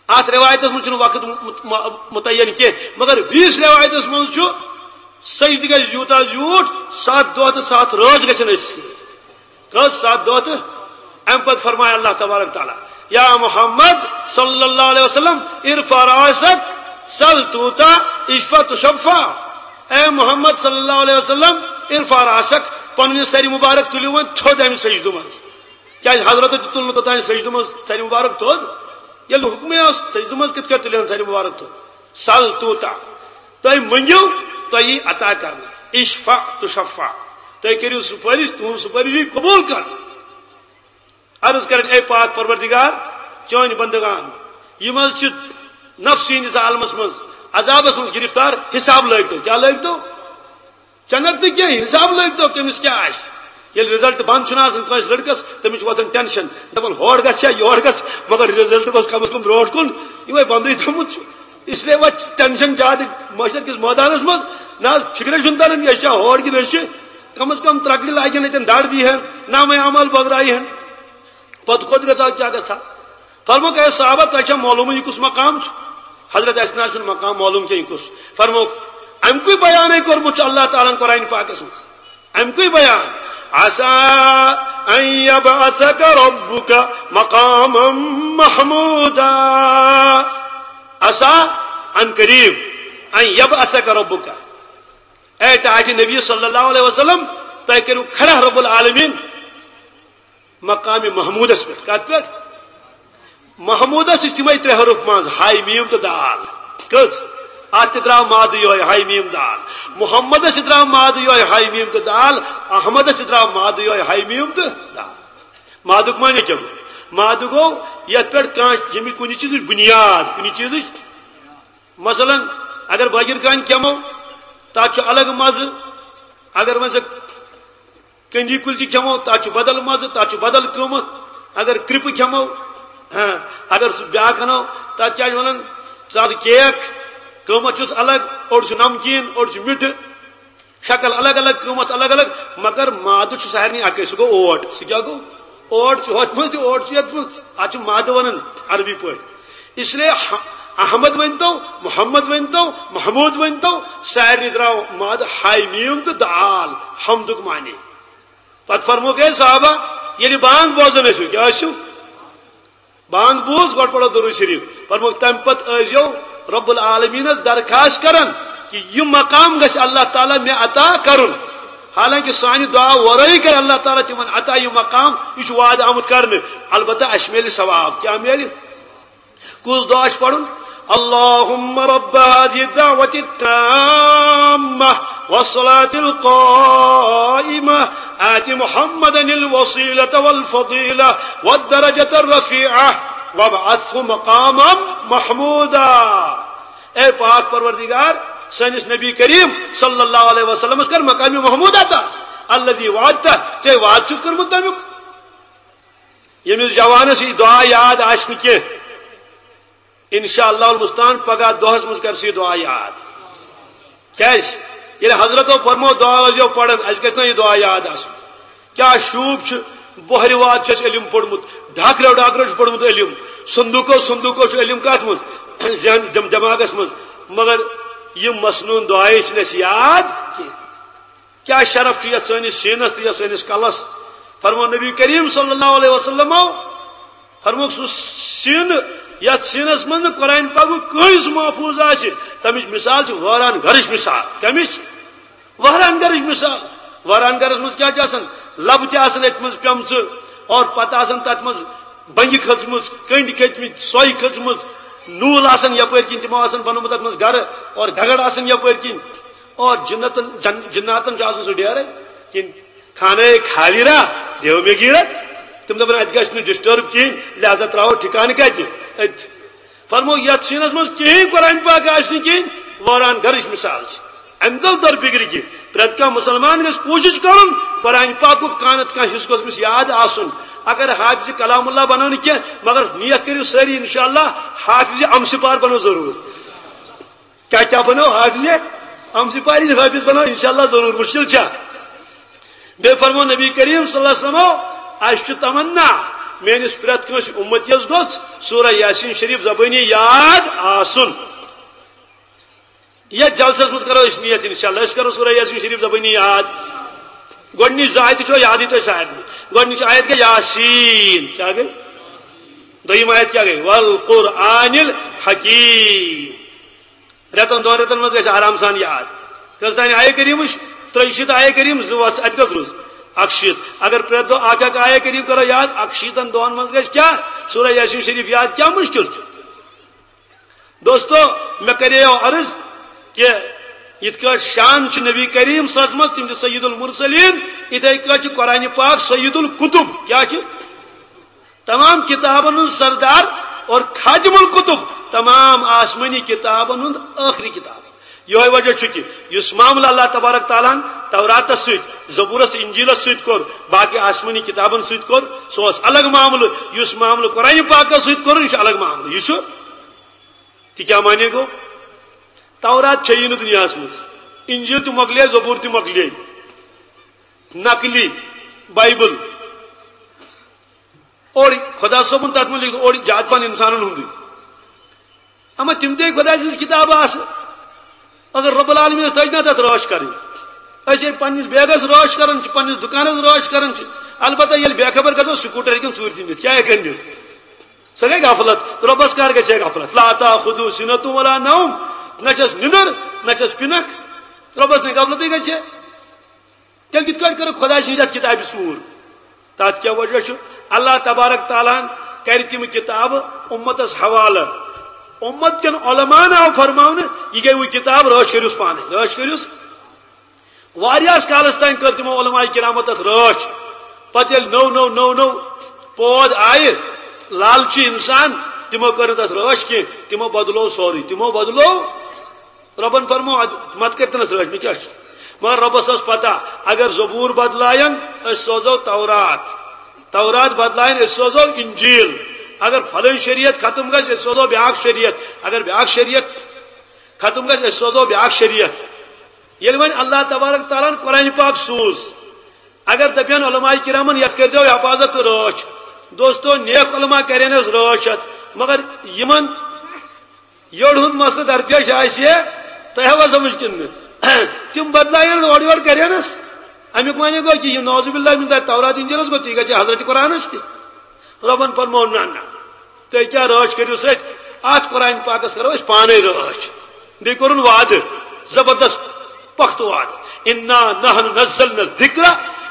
اَتھ رِوایتَس منٛز چھُنہٕ وقت مُ-، مُ-، مُ-، مُتعین کینٛہہ، مگر بیٚیِس رِوایتَس منٛز چھُ، سجدٕ گژھِ یوٗتاہ زیوٗٹھ، ستھ دۄہ تہٕ ستھ رٲژ گژھن أسۍ سۭتۍ۔ کٔژ؟ ستھ دۄہ تہٕ اَمہِ پتہٕ فرمایہِ اللہ تبارک تعالیٰ، یا محمد صلی اللہ علیہ وسلم، ارفع راسک، سل توتا، اشفع تشفع۔ اے محمد صلی اللہ علیہ وسلم، ارفع راسک، پنُن یہِ سر مبارک تُلِو وۄنۍ تھوٚد اَمہِ سجدٕ منٛز۔ کیٛازِ حضرتو تہِ تُل نہٕ توٚتام سجدٕ منٛز سر مبارک تھوٚد۔ ییٚلہِ حُکمٕے اوس، سجدٕ منٛز کِتھ کٲٹھۍ تُلہِ ہن سانہِ مُبارک تھوٚد؟ سل توٗتاہ۔ تُہۍ مٔنٛگِو، تۄہہِ یی عطا کرنہٕ۔ اشفع تشفع۔ تُہۍ کٔرِو سُفٲرِش، تُہٕنٛز سُفٲرِش یی قبوٗل کرنہٕ۔ عرض کرن، اے پاک پروردگار، چٲنۍ بندگان، یِم حظ چھِ نفسٲنی عالمس منٛز، عذابس منٛز گرفتار، حساب لٲگتو۔ کیٛاہ لٲگتو؟ جنت نہٕ کینٛہہ، حساب لٲگتو کٔمِس کیٛاہ آسہِ۔ ییٚلہِ رِزلٹ بنٛد چھُنہٕ آسان کٲنٛسہِ لٔڑکس، تٔمِس چھُ وۄتھان ٹینشن، دپان ہور گژھِ یا یور گژھِ، مگر رِزلٹ گوٚژھ کم از کم برونٛٹھ کُن، یِمے بنٛدٕے تھوٚمُت چھُ۔ اس لیے وۄتھ ٹینشن زیادٕ محشر کِس مٲدانس منٛز۔ نہ حظ، فکرے چھُنہٕ تران، یہِ چھا ہور کِنہٕ أسۍ چھِ۔ کم از کم ترکڑِ لاگن، اتٮ۪ن دڑ دی ہن، نامے اعمال بٲگرایہِ ہن۔ پتہٕ کوٚت گژھو، کیٛاہ گژھو؟ فرموکھ، اے صحابہ، تۄہہِ چھا معلومٕے یہِ کُس مقام چھُ؟ حضرت اسہِ نہ حظ چھُنہٕ مقام معلوم کینٛہہ یہِ کُس۔ فرموکھ، اَمہِ کُے بیانٕے کوٚرمُت چھُ اللہ تعالیٰ ہن قرآن پاکس منٛز۔ اَمہِ کُے بیان۔ عسى أن يبعثك ربك مقاما محمودا۔ عسى، عن قريب، أن يبعثك ربك۔ اے ٹاٹھہِ نبی صلی اللہ علیہ وسلم، تۄہہِ کٔرِو کھڑا رب العالمین مقام محمودس پٮ۪ٹھ۔ کتھ پٮ۪ٹھ؟ محمودس چھِ تِمے ترٛےٚ حرف منٛز، ہاے میم تہٕ دال۔ کٔژ؟ اتھ تہِ درٛاو مادٕ یِہوٚے، ہاے میم دال۔ محمدس تہِ درٛاو مادٕ یِہوٚے، ہاے میم تہٕ دال۔ احمدس تہِ درٛاو مادٕ یِہوٚے، ہاے میم تہٕ دال۔ مادُک معنی کیٛاہ گوٚو؟ مادٕ گوٚو یتھ پٮ۪ٹھ کانٛہہ، ییٚمہِ کُنہِ چیٖزٕچ بُنیاد، کُنہِ چیٖزٕچ، مثلاً، اگر بٲگِر کانہِ کھٮ۪مو، تتھ چھُ الگ مزٕ۔ اگر وۄنۍ ژٕ کٔنٛدی کُلچہِ کھٮ۪مو، تتھ چھُ بدل مزٕ، تتھ چھُ بدل قۭمتھ۔ اگر کرٛپہٕ کھٮ۪مو، ہاں، اگر سُہ بیٛاکھ انو، تتھ کیٛاہ چھِ ونان، ژٕ ہسا کیک، قۭمتھ چھُس الگ، اوٚڑ چھُ نمکیٖن، اوٚڑ چھُ مِٹھٕ، شکل الگ الگ، قۭمتھ الگ الگ، مگر مادٕ چھُ سارنٕے اکے، سُہ گوٚو اوٹ۔ سُہ کیٛاہ گوٚو؟ اوٹ چھُ ہۄتھ منٛز تہِ، اوٹ چھُ یتھ منٛز۔ اتھ چھُ مادٕ ونان عربی پٲٹھۍ۔ اس لیے ح-، احمد ؤنۍتو، محمد ؤنۍتو، محمود ؤنۍتو، سارنٕے درٛاو مادٕ ہاے میم تہٕ دال، حمدُک معنی۔ پتہٕ فرموکھ، اے صحابہ، ییٚلہِ بانگ بوزان ٲسِو، کیٛاہ ٲسِو؟ بانگ بوٗز، گۄڈٕ پرو درود شریف۔ فرمووُکھ، تمہِ پتہٕ ٲسۍزیو رب العالمینس درخواست کران کہِ یہِ مقام گژھِ اللہ تعالیٰ مےٚ عطا کرُن۔ حالانکہ سانہِ دعا ورٲے کرِ اللہ تعالیٰ تِمن عطا یہِ مقام، یہِ چھُ وعدٕ آمُت کرنہٕ۔ البتہ اسہِ میلہِ ثواب۔ کیٛاہ میلہِ؟ کُس دعا چھُ پرُن؟ اللهم رب هذه الدعوة التامة والصلاة القائمة آت محمدا الوسيلة والفضيلة والدرجة الرفيعة وابعثه مقاما محمودا۔ اے پاک پروردگار، سٲنِس نبی کریم صلی اللہ علیہ وسلمس کر مقام محمود عطا، الذي وعدته، ژےٚ وعدٕ چھُتھ کوٚرمُت تمیُک۔ ییٚمِس جوانس یہِ دعا یاد آسہِ نہٕ کینٛہہ، انشاءاللہ المستعان پگاہ دۄہس منٛز کر سُہ یہِ دعا یاد۔ کیٛازِ؟ ییٚلہِ حضرتو فرمو دعا ٲسۍزیو پران، اَسہِ گژھِ نا یہِ دعا یاد آسُن۔ کیٛاہ شوٗب چھُ، بۄہرِ واد چھُ اَسہِ علم پوٚرمُت، ڈھاکرو ڈھاکرو چھُ پوٚرمُت علم، صندوٗقو صندوٗقو چھُ علم کتھ منٛز؟ ذہن دم-، دماغس منٛز۔ مگر یہِ مسنوٗن دعایے چھِنہٕ اَسہِ یاد کینٛہہ۔ کیٛاہ شرف چھُ یتھ سٲنِس سیٖنس تہٕ یتھ سٲنِس کلس؟ فرمو نبی کریم صلی اللہ علیہ وسلمو، فرمووُکھ، سُہ سیٖن یتھ سیٖنس منٛز نہٕ قرآن پاکُک کٲنٛسہِ محفوظ آسہِ، تمِچ مثال چھِ وٲران گرٕچ مثال۔ کمِچ؟ وٲران گرٕچ مثال۔ وٲران گرس منٛز کیٛاہ چھُ آسان؟ لبہٕ تہِ آسان أتھۍ منٛز پیمژٕ، اور پتہٕ آسان تتھ منٛز بنگہِ کھٔژمٕژ، کنڈۍ کھٔتمٕتۍ، سۄے کھٔژمٕژ، نوٗل آسان یپٲرۍ کِنۍ، تِمو آسان بنوومُت تتھ منٛز گرٕ، اور گگر آسان یپٲرۍ کِنۍ۔ اور جنتن، جن-، جناتن چھُ آسان سُہ ڈیرے، کِنہٕ خانہ خالی را، دیو مے گیرت۔ تِم دپان، اتہِ گژھِ نہٕ ڈسٹرب کِہینۍ، لہذا تراوو ٹھکانہٕ کتہِ؟ أتھۍ۔ فرمو، یتھ سیٖنس منٛز کِہینۍ قرآن پاک آسہِ نہٕ کِہینۍ، وٲران گرٕچ مثال چھِ۔ امہِ دل تر فکرِ کہِ پرٛٮ۪تھ کانٛہہ مسلمان گژھِ کوٗشِش کرُن قرآن پاکُک کانٛہہ نتہٕ کانٛہہ حصہٕ گوٚژھ أمِس یاد آسُن۔ اگر حافظ کلام اللہ بنو نہٕ کینٛہہ، مگر نیت کٔرِو سٲری انشاءاللہ حافظ امسپار بنو ضروٗر۔ کیٛاہ کیٛاہ بنو حافظ؟ امسپار حافظ بنو انشاءاللہ ضروٗر، مشکل چھا؟ بیٚیہِ فرمو نبی کریم صلی اللہ علیہ وسلمو، اسہِ چھُ تمنا، میٲنِس پرٛٮ۪تھ کٲنٛسہِ اُمتیس گوٚژھ سورہ یاسین شریف زبٲنی یاد آسُن۔ یتھ جلسس منٛز کرو أسۍ نیت انشاءاللہ، أسۍ کرو سورہ یاسین شریف زبٲنی یاد۔ گۄڈٕنِچ زٕ آیتہٕ چھو یادٕے تۄہہِ سارنٕے۔ گۄڈٕنِچ آیت گٔے یاسین، کیٛاہ گٔے؟ دوٚیِم آیت کیٛاہ گٔے؟ والقرآن الحکیم۔ رٮ۪تن دۄن رٮ۪تن منٛز گژھِ آرام سان یاد۔ کٔژ تانۍ آیہِ کریٖمٕچ؟ ترٛیہِ شیٖتھ آیہِ کریٖم، زٕ وَس، اَتہِ کٔژ روٗز؟ اکشیت۔ اگر پرٛٮ۪تھ دۄہ اکھ اکھ آیہ کریم کرو یاد، اکشیتن دۄہن منٛز گژھِ کیٛاہ؟ سورہ یاسین شریف یاد کیٛاہ مشکل چھُ؟ دوستو، مےٚ کریو عرض کہ یِتھ کٲٹھۍ شان چھُ نبی کریم صلی اللہ علیہ وسلم، تِم چھِ سید المرسلین، یِتھے کٲٹھۍ چھُ قرآن پاک سید الکتب۔ کیٛاہ چھُ؟ تمام کتابن ہُنٛد سردار اور خاتم الکتب، تمام آسمانی کتابن ہُنٛد ٲخری کتاب۔ یہے وجہ چھُ کہ یُس معاملہٕ اللہ تبارک تعالیٰ ہن توراتس سۭتۍ، زبورس، انجیلس سۭتۍ کوٚر، باقی آسمانی کتابن سۭتۍ کوٚر، سُہ اوس الگ معاملہٕ۔ یُس معاملہٕ قرآن پاکس سۭتۍ کوٚرُن، یہِ چھُ الگ معاملہٕ۔ یہِ چھُ، تہِ کیٛاہ معنی گوٚو؟ تورات چھیی نہٕ دُنیاہس منٛز، انجیل تہِ مۄکلے، زبور تہِ مۄکلے، نقلی بایبل۔ اور خدا صٲبُن تتھ منٛز لیکھمُت، اور زیادٕ پہن انسانن ہُنٛدُے۔ اما تِم تہِ خدا سٕنٛز کتابہٕ آسہٕ، اگر رب العالمینس تجہِ نا تتھ رٲچھ کرٕنۍ۔ أسۍ ییٚلہِ پننِس بیگس رٲچھ کران چھِ، پننِس دُکانس رٲچھ کران چھِ، البتہ ییٚلہِ بے خبر گژھو، سکوٹر ہیٚکن ژوٗرِ تہِ نِتھ، کیٛاہ ہیٚکن نِتھ؟ سۄ گٔے غفلت۔ رۄبس کر گژھِ ہے غفلت؟ لا تاخذہ سنۃ ولا نوم۔ نہ چھس نِندر، نہ چھس پِنکھ۔ رۄبس نہٕ غفلتٕے گژھِ ہے۔ تیٚلہِ کِتھ کٲٹھۍ کٔرٕکھ خۄداے سٕنٛزِ یَتھ کِتابہِ ژوٗر؟ تَتھ کیٛاہ وجہ چھُ؟ اللہ تبارک تعالیٰ ہن کَرِ تِم کِتابہٕ اُمتَس حوالہٕ۔ اُمت کٮ۪ن علماہن آو فرماونہٕ، یہِ گٔے وۄنۍ کِتاب، رٲچھ کٔرِوس پانَے، رٲچھ کٔرِوس۔ واریاہَس کالَس تام کٔر تِمو علماء کِرامو تَتھ رٲچھ۔ پَتہٕ ییٚلہِ نٔو نٔو نٔو نٔو پود آیہِ، لالچی اِنسان، تِمو کٔر نہٕ تَتھ رٲچھ کینٛہہ، تِمو بدلوو سورُے، تِمو بدلوو۔ رۄبن فرمو، اد-، مت کٔرۍ تنس رٲچھ، مےٚ کیٛاہ چھُ؟ مگر رۄبس ٲس پتہ، اگر زبور بدلایَن، أسۍ سوزو تورات۔ تورات بدلایَن، أسۍ سوزو انجیل۔ اگر فلٲنۍ شریعت ختم گژھِ، أسۍ سوزو بیٛاکھ شریعت۔ اگر بیٛاکھ شریعت ختم گژھِ، أسۍ سوزو بیٛاکھ شریعت۔ ییٚلہِ وۄنۍ اللہ تبارک تعالیٰ ہن قرآن پاک سوٗز، اگر دپن علماء کرامن، یتھ کٔرۍزیو حفاظت تہٕ رٲچھ۔ دوستو، نیک علماء کرن أسۍ رٲچھ اتھ، مگر یِمن یٔڑ ہُنٛد مسلہٕ درپیش آسہِ ہے، تۄہہِ ہوا سمجھ کِنہٕ نہٕ؟ تِم بدلایَن اورٕ یورٕ کرینس۔ اَمیُک معنی گوٚو کہِ یہِ نعوذ باللہ من ذالک تورات انجیلس گوٚو، تی گژھِ حضرت قرآنس تہِ۔ رۄبن فرموو، نہ، نہ، تُہۍ کیٛاہ رٲچھ کٔرِو سۭتۍ؟ اَتھ قرآن پاکس کرو أسۍ پانے رٲچھ۔ بیٚیہِ کوٚرُن وعدٕ، زبردست پختہٕ وعدٕ، انا نحن نزلنا الذکر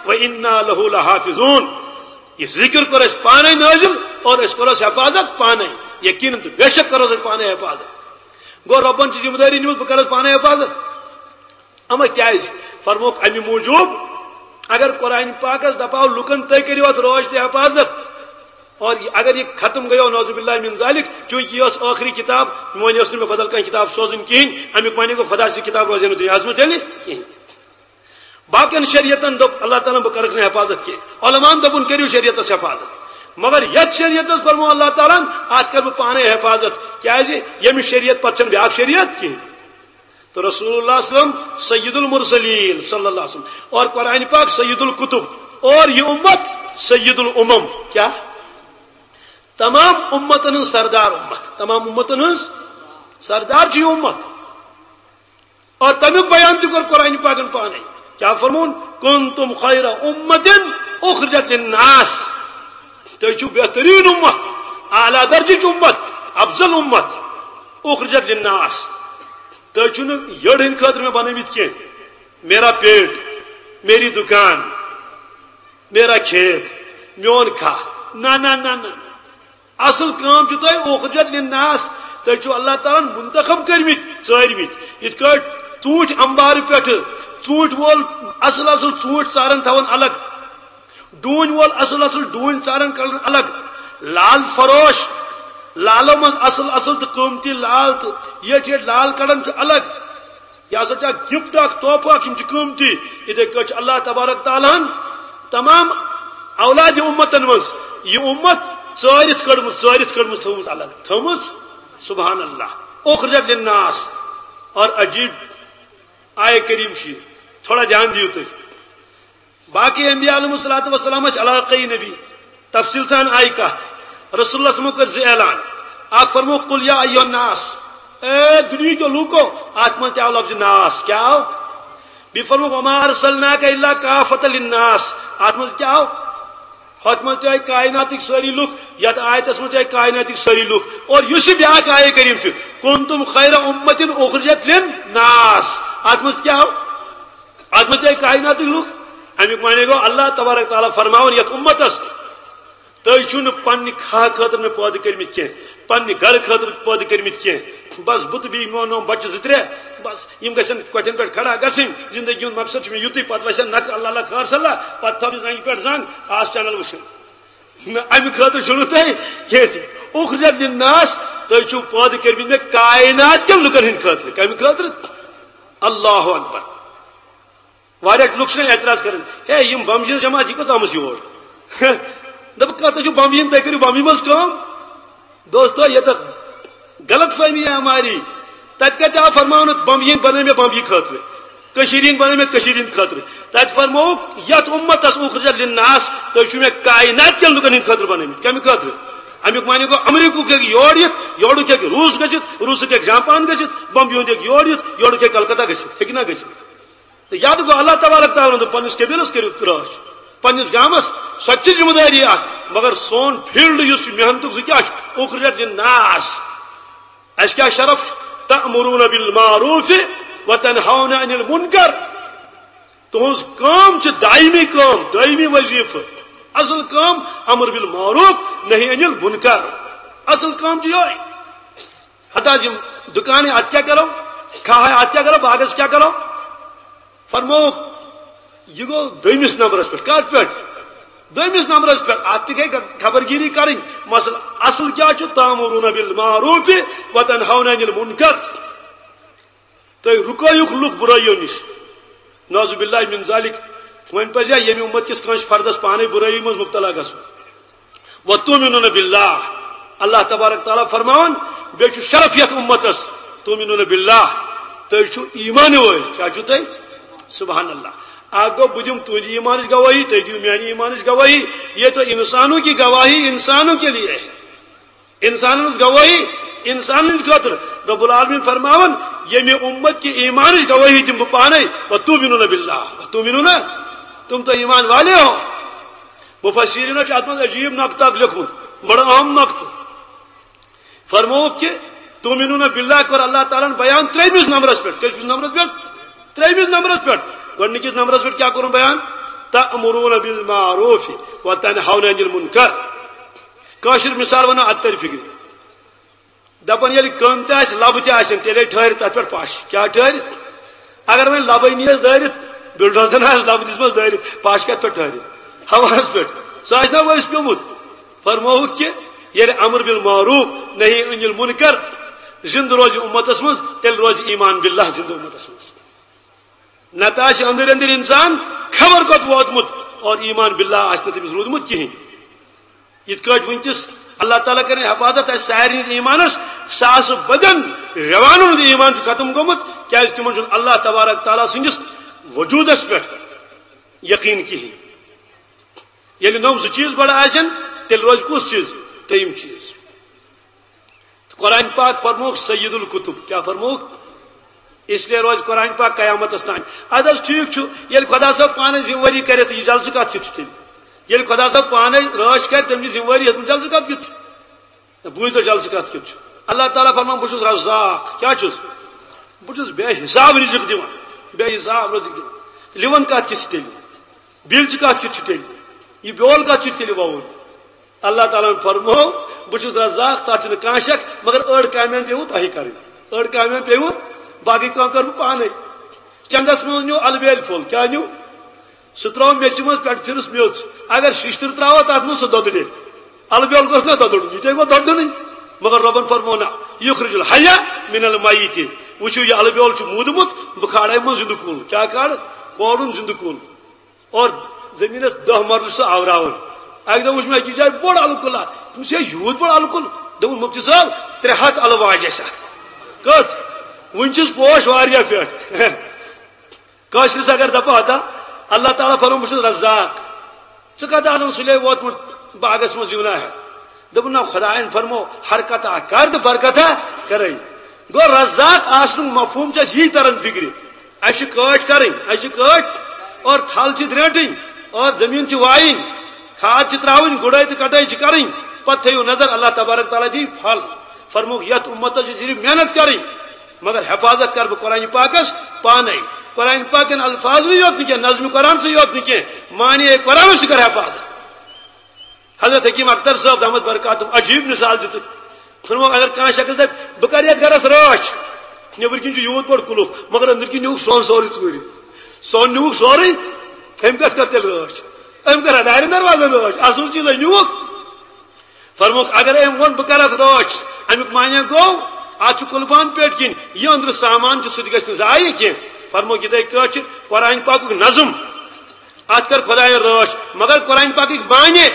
و انا لہ لحافظون۔ یہ ذکر کوٚر اَسہِ پانے نٲزِل اور أسۍ کوٚرُس حفاظت پانے۔ یقیناً تہٕ بے شک کوٚرُس اَسہِ پانے حفاظت۔ گوٚو رۄبن چھِ ذمہٕ دٲری نِمٕژ، بہٕ کرس پانے حفاظت۔ اما کیازِ؟ فرموکھ اَمہِ موٗجوٗب، اگر قرآن پاکس دپاو لُکن، تُہۍ کٔرِو اَتھ رٲچھ تہٕ حفاظت، اور اگر یہ ختم گٔیو نعوذ باللہ من ذالک، چونکہ یہ ٲس ٲخری کتاب، وۄنۍ ٲس نہٕ مےٚ بدل کانٛہہ کتاب سوزٕنۍ کِہیٖنۍ، اَمیُک معنی گوٚو خدا سٕنٛز کتاب روزِ نہٕ دُنیاہس منٛز تیٚلہِ کِہیٖنۍ۔ باقین شریعتن دوٚپ اللہ تعالیٰ ہن، بہٕ کرکھ نہٕ حفاظت کینٛہہ۔ علماءن دوٚپُن، کٔرِو شریعتس حفاظت۔ مگر یتھ شریعتس فرموو اللہ تعالیٰ ہن، اتھ کرٕ بہٕ پانے حفاظت۔ کیازِ؟ ییٚمہِ شریعت پتہٕ چھنہٕ بیٛاکھ شریعت کینٛہہ۔ تو رسول اللہ صلی اللہ علیہ وسلم سید المرسلین صلی اللہ علیہ وسلم، اور قرآن پاک سید الکتب، اور یہ امت سید الامم۔ کیا؟ تمام امتن ہنٛز سردار امت، تمام امتن ہنٛز سردار چھِ یہ امت۔ اور تمیُک بیان تہِ کوٚر قرآن پاکن پانے۔ کیا فرمون؟ کنتم خیر امت اخرجت للناس۔ تُہۍ چھِو بہترین امت، اعلیٰ درجٕچ امت، افضل امت، اخرجت للناس۔ تُہۍ چھِو نہٕ یٔڑ ہٕنٛدِ خٲطرٕ مےٚ بنٲومٕتۍ کینٛہہ، میرا پیٹ، میری دکان، میرا کھیت، میون کھاہ۔ نہ، نہ، نہ، نہ۔ اصل کٲم چھِ تۄہہِ اخرجت للناس، تُہۍ چھِو اللہ تعالیٰ ہن منتخب کٔرمٕتۍ، ژٲرمٕتۍ۔ یِتھ کٲٹھۍ ژوٗنٛٹھۍ انبارٕ پٮ۪ٹھٕ، ژوٗنٛٹھۍ وول اصل اصل ژوٗنٛٹھۍ ژاران تھاوان الگ، ڈوٗنۍ وول اصل اصل ڈوٗنۍ ژاران کڑان الگ، لال فروش، لالو منٛز اصل اصل تہٕ قۭمتی لال تہٕ یٔٹۍ یٔٹۍ لال کڑان چھُ الگ۔ یہِ ہسا چھُ اکھ gift، اکھ تحفہٕ اکھ، یِم چھِ قۭمتی۔ یِتھے کٲٹھۍ چھُ اللہ تبارک تعالیٰ ہن تمام اولاد امتن منٛز یہِ امت ژٲرِتھ کٔڑمٕژ، ژٲرِتھ کٔڑمٕژ، تھٲومٕژ الگ، تھٲومٕژ۔ سبحان اللہ۔ اخرجت للناس۔ اور عجیب آیہ کریم چھِ، تھوڑا دھیان دِیِو تُہۍ۔ باقی انبیاء علیہ الصلوۃ والسلام ٲسۍ علاقائی نبی، تفصیل سان آیہِ کتھ۔ رسول اللہ صلی اللہ علیہ وسلمو کٔر زٕ اعلان۔ اکھ فرمو، قل یا ایھا الناس، اے دُنیہکیو لوٗکو، اتھ منٛز تہِ آو لفظ ناس، کیٛاہ آو؟ بیٚیہِ فرمو، وما ارسلناک الا کافۃ للناس، اتھ منٛز کیٛاہ آو؟ ہۄتھ منٛز تہِ آیہِ کائناتٕکۍ سٲری لُکھ، یتھ آیتس منٛز تہِ آیہِ کائناتٕکۍ سٲری لُکھ۔ اور یُس یہِ بیٛاکھ آیہ کریم چھُ، کنتم خیر امۃ اخرجت للناس، اتھ منٛز کیٛاہ آو؟ اتھ منٛز تہِ آیہِ کائناتٕکۍ لُکھ۔ اَمیُک معنی گوٚو، اللہ تبارک تعالیٰ فرماوان یَتھ اُمتَس، تُہۍ چھِو نہٕ پننہِ کھاہ خٲطرٕ مےٚ پٲدٕ کٔرمٕتۍ کینٛہہ، پننہِ گرٕ خٲطرٕ پٲدٕ کٔرمٕتۍ کینٛہہ۔ بس بہٕ تہٕ بیٚیہِ میون نوم بچہِ زٕ ترٛےٚ، بس یِم گژھن کۄٹھٮ۪ن پٮ۪ٹھ کھڑا گژھٕنۍ۔ زندگی ہُنٛد مقصد چھُ مےٚ یُتُے، پتہٕ وسن نکھٕ اللہ اللہ خار صلی اللہ، پتہٕ تھاو یہِ زنگہِ پٮ۪ٹھ زنگ، آس چینل وٕچھِو۔ نہ، اَمہِ خٲطرٕ چھُو نہٕ تۄہہِ کینٛہہ تہِ۔ اُخرجت للناس، تُہۍ چھِو پٲدٕ کٔرمٕتۍ مےٚ کائنات کٮ۪ن لُکن ہٕنٛدِ خٲطرٕ۔ کَمہِ خٲطرٕ؟ اللہ اکبر۔ واریاہ لُکھ چھِ اعتراض کران، ہے، یِم بمبیہِ ہٕنٛز جماعت، یہِ کٔژ آمٕژ یور؟ دوٚپُکھ، کَتھ چھُو بمبیہِ ہٕنٛز، تُہۍ کٔرِو بمبیہِ منٛز کٲم۔ دوستو، یہِ تہٕ غلط فہمی ہے ہماری۔ تَتہِ کَتہِ آو فرماونہٕ، بمبیہِ ہٕنٛدۍ بنٲے مےٚ بمبیہِ خٲطرٕ، کٔشیٖرِ ہٕنٛدۍ بنٲے مےٚ کٔشیٖرِ ہٕنٛدِ خٲطرٕ؟ تَتہِ فرمووُکھ، یَتھ اُمتَس اُخرجت للناس، تُہۍ چھِو مےٚ کائنات کٮ۪ن لُکَن ہٕنٛدِ خٲطرٕ بنٲومٕتۍ۔ کَمہِ خٲطرٕ؟ اَمیُک معنی گوٚو، امریکہُک ہیٚکہِ یور یِتھ، یورُک ہیٚکہِ روٗس گٔژھِتھ، روٗسُک ہیٚکہِ جاپان گٔژھِتھ، بمبیہِ ہُنٛد ہیٚکہِ یور یِتھ، یورُک ہیٚکہِ کلکتہ گٔژھِتھ، ہیٚکہِ نہ گٔژھِتھ؟ تہٕ یاد گوٚو، اللہ تبارک تعالیٰ ہن دوٚپ پننِس قبیلس کٔرِو رٲچھ، پننِس گامس، سۄ تہِ چھِ ذمہٕ دٲری اکھ، مگر سون فیلڈ یُس چھُ محنتُک، سُہ کیٛاہ چھُ؟ اُخرجت للناس۔ اَسہِ کیٛاہ شرف؟ تأمرون بالمعروف وتنہون عن المنکر۔ تُہنٛز کٲم چھِ دائمی کٲم، دائمی وظیفہٕ۔ اصل کٲم امر بالمعروف، نہی عن المنکر۔ اصل کٲم چھِ یِہوٚے۔ ہتہٕ حظ یِم دُکانٕے، اَتھ کیٛاہ کَرو؟ کھاہے، اَتھ کیٛاہ کَرو؟ باغس کیٛاہ کَرو؟ فرمووُکھ، یہِ گوٚو دوٚیمِس نمبرس پٮ۪ٹھ۔ کَتھ پٮ۪ٹھ؟ دوٚیمِس نمبرس پٮ۪ٹھ۔ اَتھ تہِ گٔے خبرگیٖری کَرٕنۍ۔ مسلہٕ اصل کیٛاہ چھُ؟ تأمرون بالمعروف وتنہون عن المنکر۔ تُہۍ رُکٲیِو لُکھ بُرٲیِو نِش۔ نعوذ باللہ من ذالک۔ وۄنۍ پزِ ہا ییٚمہِ اُمت کِس کٲنٛسہِ فردس پانے بُرٲیی منٛز مُبتلا گژھُن۔ وتؤمنون باللہ۔ اللہ تبارک تعالیٰ فرماوان، بیٚیہِ چھُ شرف یتھ اُمتس، تؤمنون باللہ، تُہۍ چھِو ایمان وٲلۍ۔ کیٛاہ چھِو تُہۍ؟ سبحان اللہ۔ اکھ گوٚو، بہٕ دِمہٕ تُہنٛدِ ایمانٕچ گوٲہی، تُہۍ دِیِو میانہِ ایمانٕچ گوٲہی۔ یہ تو انسانوں کی گواہی انسانوں کے لیے ہے۔ انسانن ہٕنٛز گوٲہی انسانن ہٕنٛدِ خٲطرٕ۔ رب العالمین فرماوان، ییٚمہِ اُمت کہِ ایمانٕچ گوٲہی دِمہٕ بہٕ پانے، وتؤمنون باللہ، وتؤمنون، تم تو ایمان والے ہو۔ مفسرینو چھُ اتھ منٛز عجیب نقطہٕ اکھ لیوٚکھمُت، بڑٕ اہم نقطہٕ۔ فرمووُکھ کہِ تؤمنون باللہ کوٚر اللہ تعالیٰ ہن بیان ترٛیٚیمِس نمبرس پٮ۪ٹھ۔ کٔژمِس نمبرس پٮ۪ٹھ؟ ترٛیٚیمِس نمبرس پٮ۪ٹھ۔ گۄڈٕنِکِس نمبرس پٮ۪ٹھ کیٛاہ کوٚرُن بیان؟ تأمرون بالمعروف وتنہون عن المنکر۔ کٲشِر مثال ونو اتھ ترِ فکرِ۔ دپان ییٚلہِ کٔن تہِ آسہِ، لبہٕ تہِ آسن، تیٚلے ٹھہرِ تتھ پٮ۪ٹھ پش۔ کیٛاہ ٹھہرِ؟ اگر وۄنۍ لبے نیس دٲرِتھ، بلڈوزن آسہِ لبہٕ دِژمٕژ دٲرِتھ، پش کتھ پٮ۪ٹھ ٹھہرِ؟ ہوہس پٮ۪ٹھ۔ سُہ آسہِ نا ؤسۍ پیومُت۔ فرمووُکھ کہِ ییٚلہِ امر بالمعروف نہی عن المنکر زندٕ روزِ امتس منٛز، تیٚلہِ روزِ ایمان باللہ زندٕ امتس منٛز۔ نتہٕ آسہِ أنٛدٕرۍ أنٛدٕرۍ انسان خبر کوٚت ووتمُت اور ایمان باللہ آسہِ نہٕ تٔمِس روٗدمُت کِہیٖنۍ۔ یِتھ کٲٹھۍ وٕنکیٚس اللہ تعالیٰ کرِ حفاظت اَسہِ سارنٕے ہٕنٛدِ ایمانس، ساسہٕ بدن جوانن ہُنٛد ایمان چھُ ختم گوٚمُت، کیازِ تِمن چھُنہٕ اللہ تبارک تعالیٰ سٕنٛدِس وجوٗدس پٮ۪ٹھ یقیٖن کِہیٖنۍ۔ ییٚلہِ نوٚم زٕ چیٖز گۄڈٕ آسن، تیٚلہِ روزِ کُس چیٖز؟ ترٛیٚیِم چیٖز۔ قرآن پاک فرمووُکھ سید الکتب۔ کیٛاہ فرمووُکھ؟ اس لیے روزِ قرآن پاک قیامتس تام۔ ادٕ حظ ٹھیٖک چھُ، ییٚلہِ خۄدا صٲب پانے ذمہٕ وٲری کرِ، تہٕ یہِ جلسہٕ کتھ کیُتھ چھُ تیٚلہِ؟ ییٚلہِ خۄدا صٲب پانے رٲچھ کرِ، تٔمۍ چھِ ذمہٕ وٲری ہیٚژمٕژ، جلسہٕ کتھ کیُتھ چھُ؟ نہ، بوٗزۍ تو جلسہٕ کتھ کیُتھ چھُ۔ اللہ تعالیٰ فرمان، بہٕ چھُس رزاق۔ کیٛاہ چھُس؟ بہٕ چھُس بے حساب رزق دِوان، بے حساب رزق دِوان۔ لِوَن کتھ کیُتھ چھُ تیٚلہِ؟ بیلچہِ کتھ کیُتھ چھُ تیٚلہِ؟ یہِ بیول کتھ کیُتھ تیٚلہِ ووُن؟ اللہ تعالیٰ ہن فرموو، بہٕ چھُس رزاق، تتھ چھُنہٕ کانٛہہ شک، مگر أڑ کامٮ۪ن پیوٕ تۄہہِ کرٕنۍ، أڑ کامٮ۪ن پیوٕ، باقٕے کٲم کٔر بہٕ پانے۔ چندس منٛز نیوٗ البیل پھوٚل، کیٛاہ نیوٗ؟ سُہ ترٛوو میٚژِ منٛز، پٮ۪ٹھٕ پھِرُس میٚژ۔ اگر شِشتٕر ترٛاوو تتھ منٛز، سُہ دۄدرِ۔ البیل گوٚژھ نا دۄدرُن، یہِ تے گوٚو دۄدرُنٕے۔ مگر رۄبن فرموو نہ، یخرج الحی من المیت۔ وٕچھِو، یہِ البیل چھُ موٗدمُت، بہٕ کھالے منٛز زِندٕ کُل۔ کیٛاہ کھالہٕ؟ کھولُن زِندٕ کُل۔ اور زٔمیٖنَس دَہ مرلہٕ چھُ سُہ آوراوان۔ اَکہِ دۄہ وٕچھ مےٚ أکِس جایہِ بوٚڑ اَلہٕ کُلہ۔ دوٚپمَس، "ہے، یوٗت بوٚڑ اَلہٕ کُل؟" دوٚپُن، "مُفتی صٲب، ترٛےٚ ہَتھ اَلہٕ واجہِ اَسہِ اَتھ۔" کٔژ؟ وٕنہِ چھِس پوش واریاہ پٮ۪ٹھ۔ کٲشرِس اگر دَپہٕ ہتا، اللہ تعالیٰ فرموو، "بہٕ چھُس رزاق۔" ژٕ کَتہِ آسَن سُلے ووتمُت باغَس منٛز یِونہ ہٮ۪تھ؟ دوٚپُن، "نہ، خۄدایَن فرموو، حرکت اَکھ کَر تہٕ برکت اَکھ کَرَے۔" گوٚو رزاق آسنُک مفہوٗم چھُ اَسہِ یی تَران فِکرِ۔ اَسہِ چھِ کٲٹھۍ کَرٕنۍ، اَسہِ چھِ کٲٹھۍ اور تھل چھِ درٛینٛٹٕنۍ اور زٔمیٖن چھِ وایِنۍ، کھاد چھِ ترٛاوٕنۍ، گُڈٲے تہٕ کَٹٲے چھِ کَرٕنۍ۔ پَتہٕ تھٲیِو نظر، اللہ تبارک تعالیٰ دِیہِ پھل۔ فرمووُکھ، یَتھ اُمتَس چھِ صرف محنت کَرٕنۍ، مگر حفاظت کَرٕ بہٕ قرآنِ پاکَس پانَے۔ قرآن پاکن الفاظ یوت نہٕ کینٛہہ، نظم قرآن سٕے یوت نہٕ کینٛہہ، معنی قرآن سُہ کر حفاظت۔ حضرت حکیم اختر صٲب دامت برکاتم عجیب مثال دِژ۔ فرموو، اگر کانٛہہ شخص دپہِ، "بہٕ کرٕ یتھ گرس رٲچھ"، نیٚبٕرۍ کِنۍ چھُ یوٗت بوٚڑ کُلُف، مگر أنٛدٕرۍ کِنۍ نیوٗکھ سۄن سورُے ژوٗرِ۔ سۄن نیوٗکھ سورُے، أمۍ کتھ کٔر تیٚلہِ رٲچھ؟ أمۍ کٔر دارٮ۪ن دروازن رٲچھ، اصل چیٖزے نیوٗکھ۔ فرمووُکھ، اگر أمۍ ووٚن، "بہٕ کرٕ اتھ رٲچھ"، امیُک معنی گوٚو، اتھ چھُ قُلبان پٮ۪ٹھ کِنۍ، یہِ أنٛدرٕ سامان چھُ، سُہ تہِ گژھِ نہٕ ضایع کینٛہہ۔ فرمووُکھ، یِتھے کٲٹھۍ چھُ قرآن پاکُک نظم، اتھ کٔر خدایَن رٲچھ، مگر قرآن پاکٕکۍ معنی،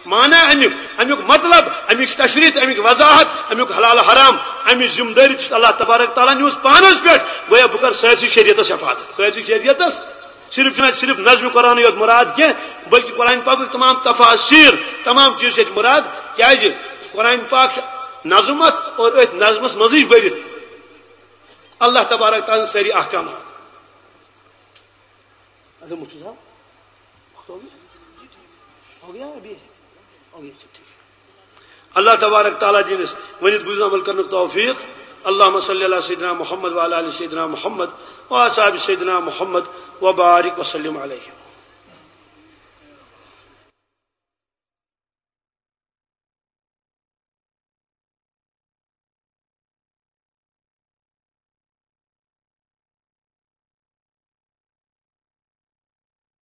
معنی امیُک، امیُک مطلب، امیُک تشریح، امیُک وضاحت، امیُک حلال حرام، امیُک ذمہ دٲری چھِ اللہ تبارک تعالیٰ نیوٗمٕژ پانس پٮ۪ٹھ۔ گویا بہٕ کرٕ سٲرسٕے شریعتس حفاظت، سٲرسٕے شریعتس۔ صرف چھُنہٕ اَسہِ صرف نظم قرآن یوت مراد کینٛہہ، بلکہ قرآن پاکٕکۍ تمام تفاسیر، تمام چیٖز چھِ اَتہِ مراد۔ کیازِ؟ قرآن پاک چھُ نظم اتھ اور أتھۍ نظمس منٛزٕے بٔرِتھ اللہ تبارک تعالیٰ سٲری احکامات۔ اچھا، مفتی صاحب، وقت ہو گیا؟ ہو گیا ابھی؟ ہو گیا، اچھا، ٹھیک۔ اللہ تبارک تعالیٰ دِنَس ؤنِتھ بوٗزِتھ عمل کرنُک توفیق۔ اللہم صلی علی سیدنا محمد وعلی آل سیدنا محمد وأصحاب سیدنا محمد وبارک وسلم علیہ۔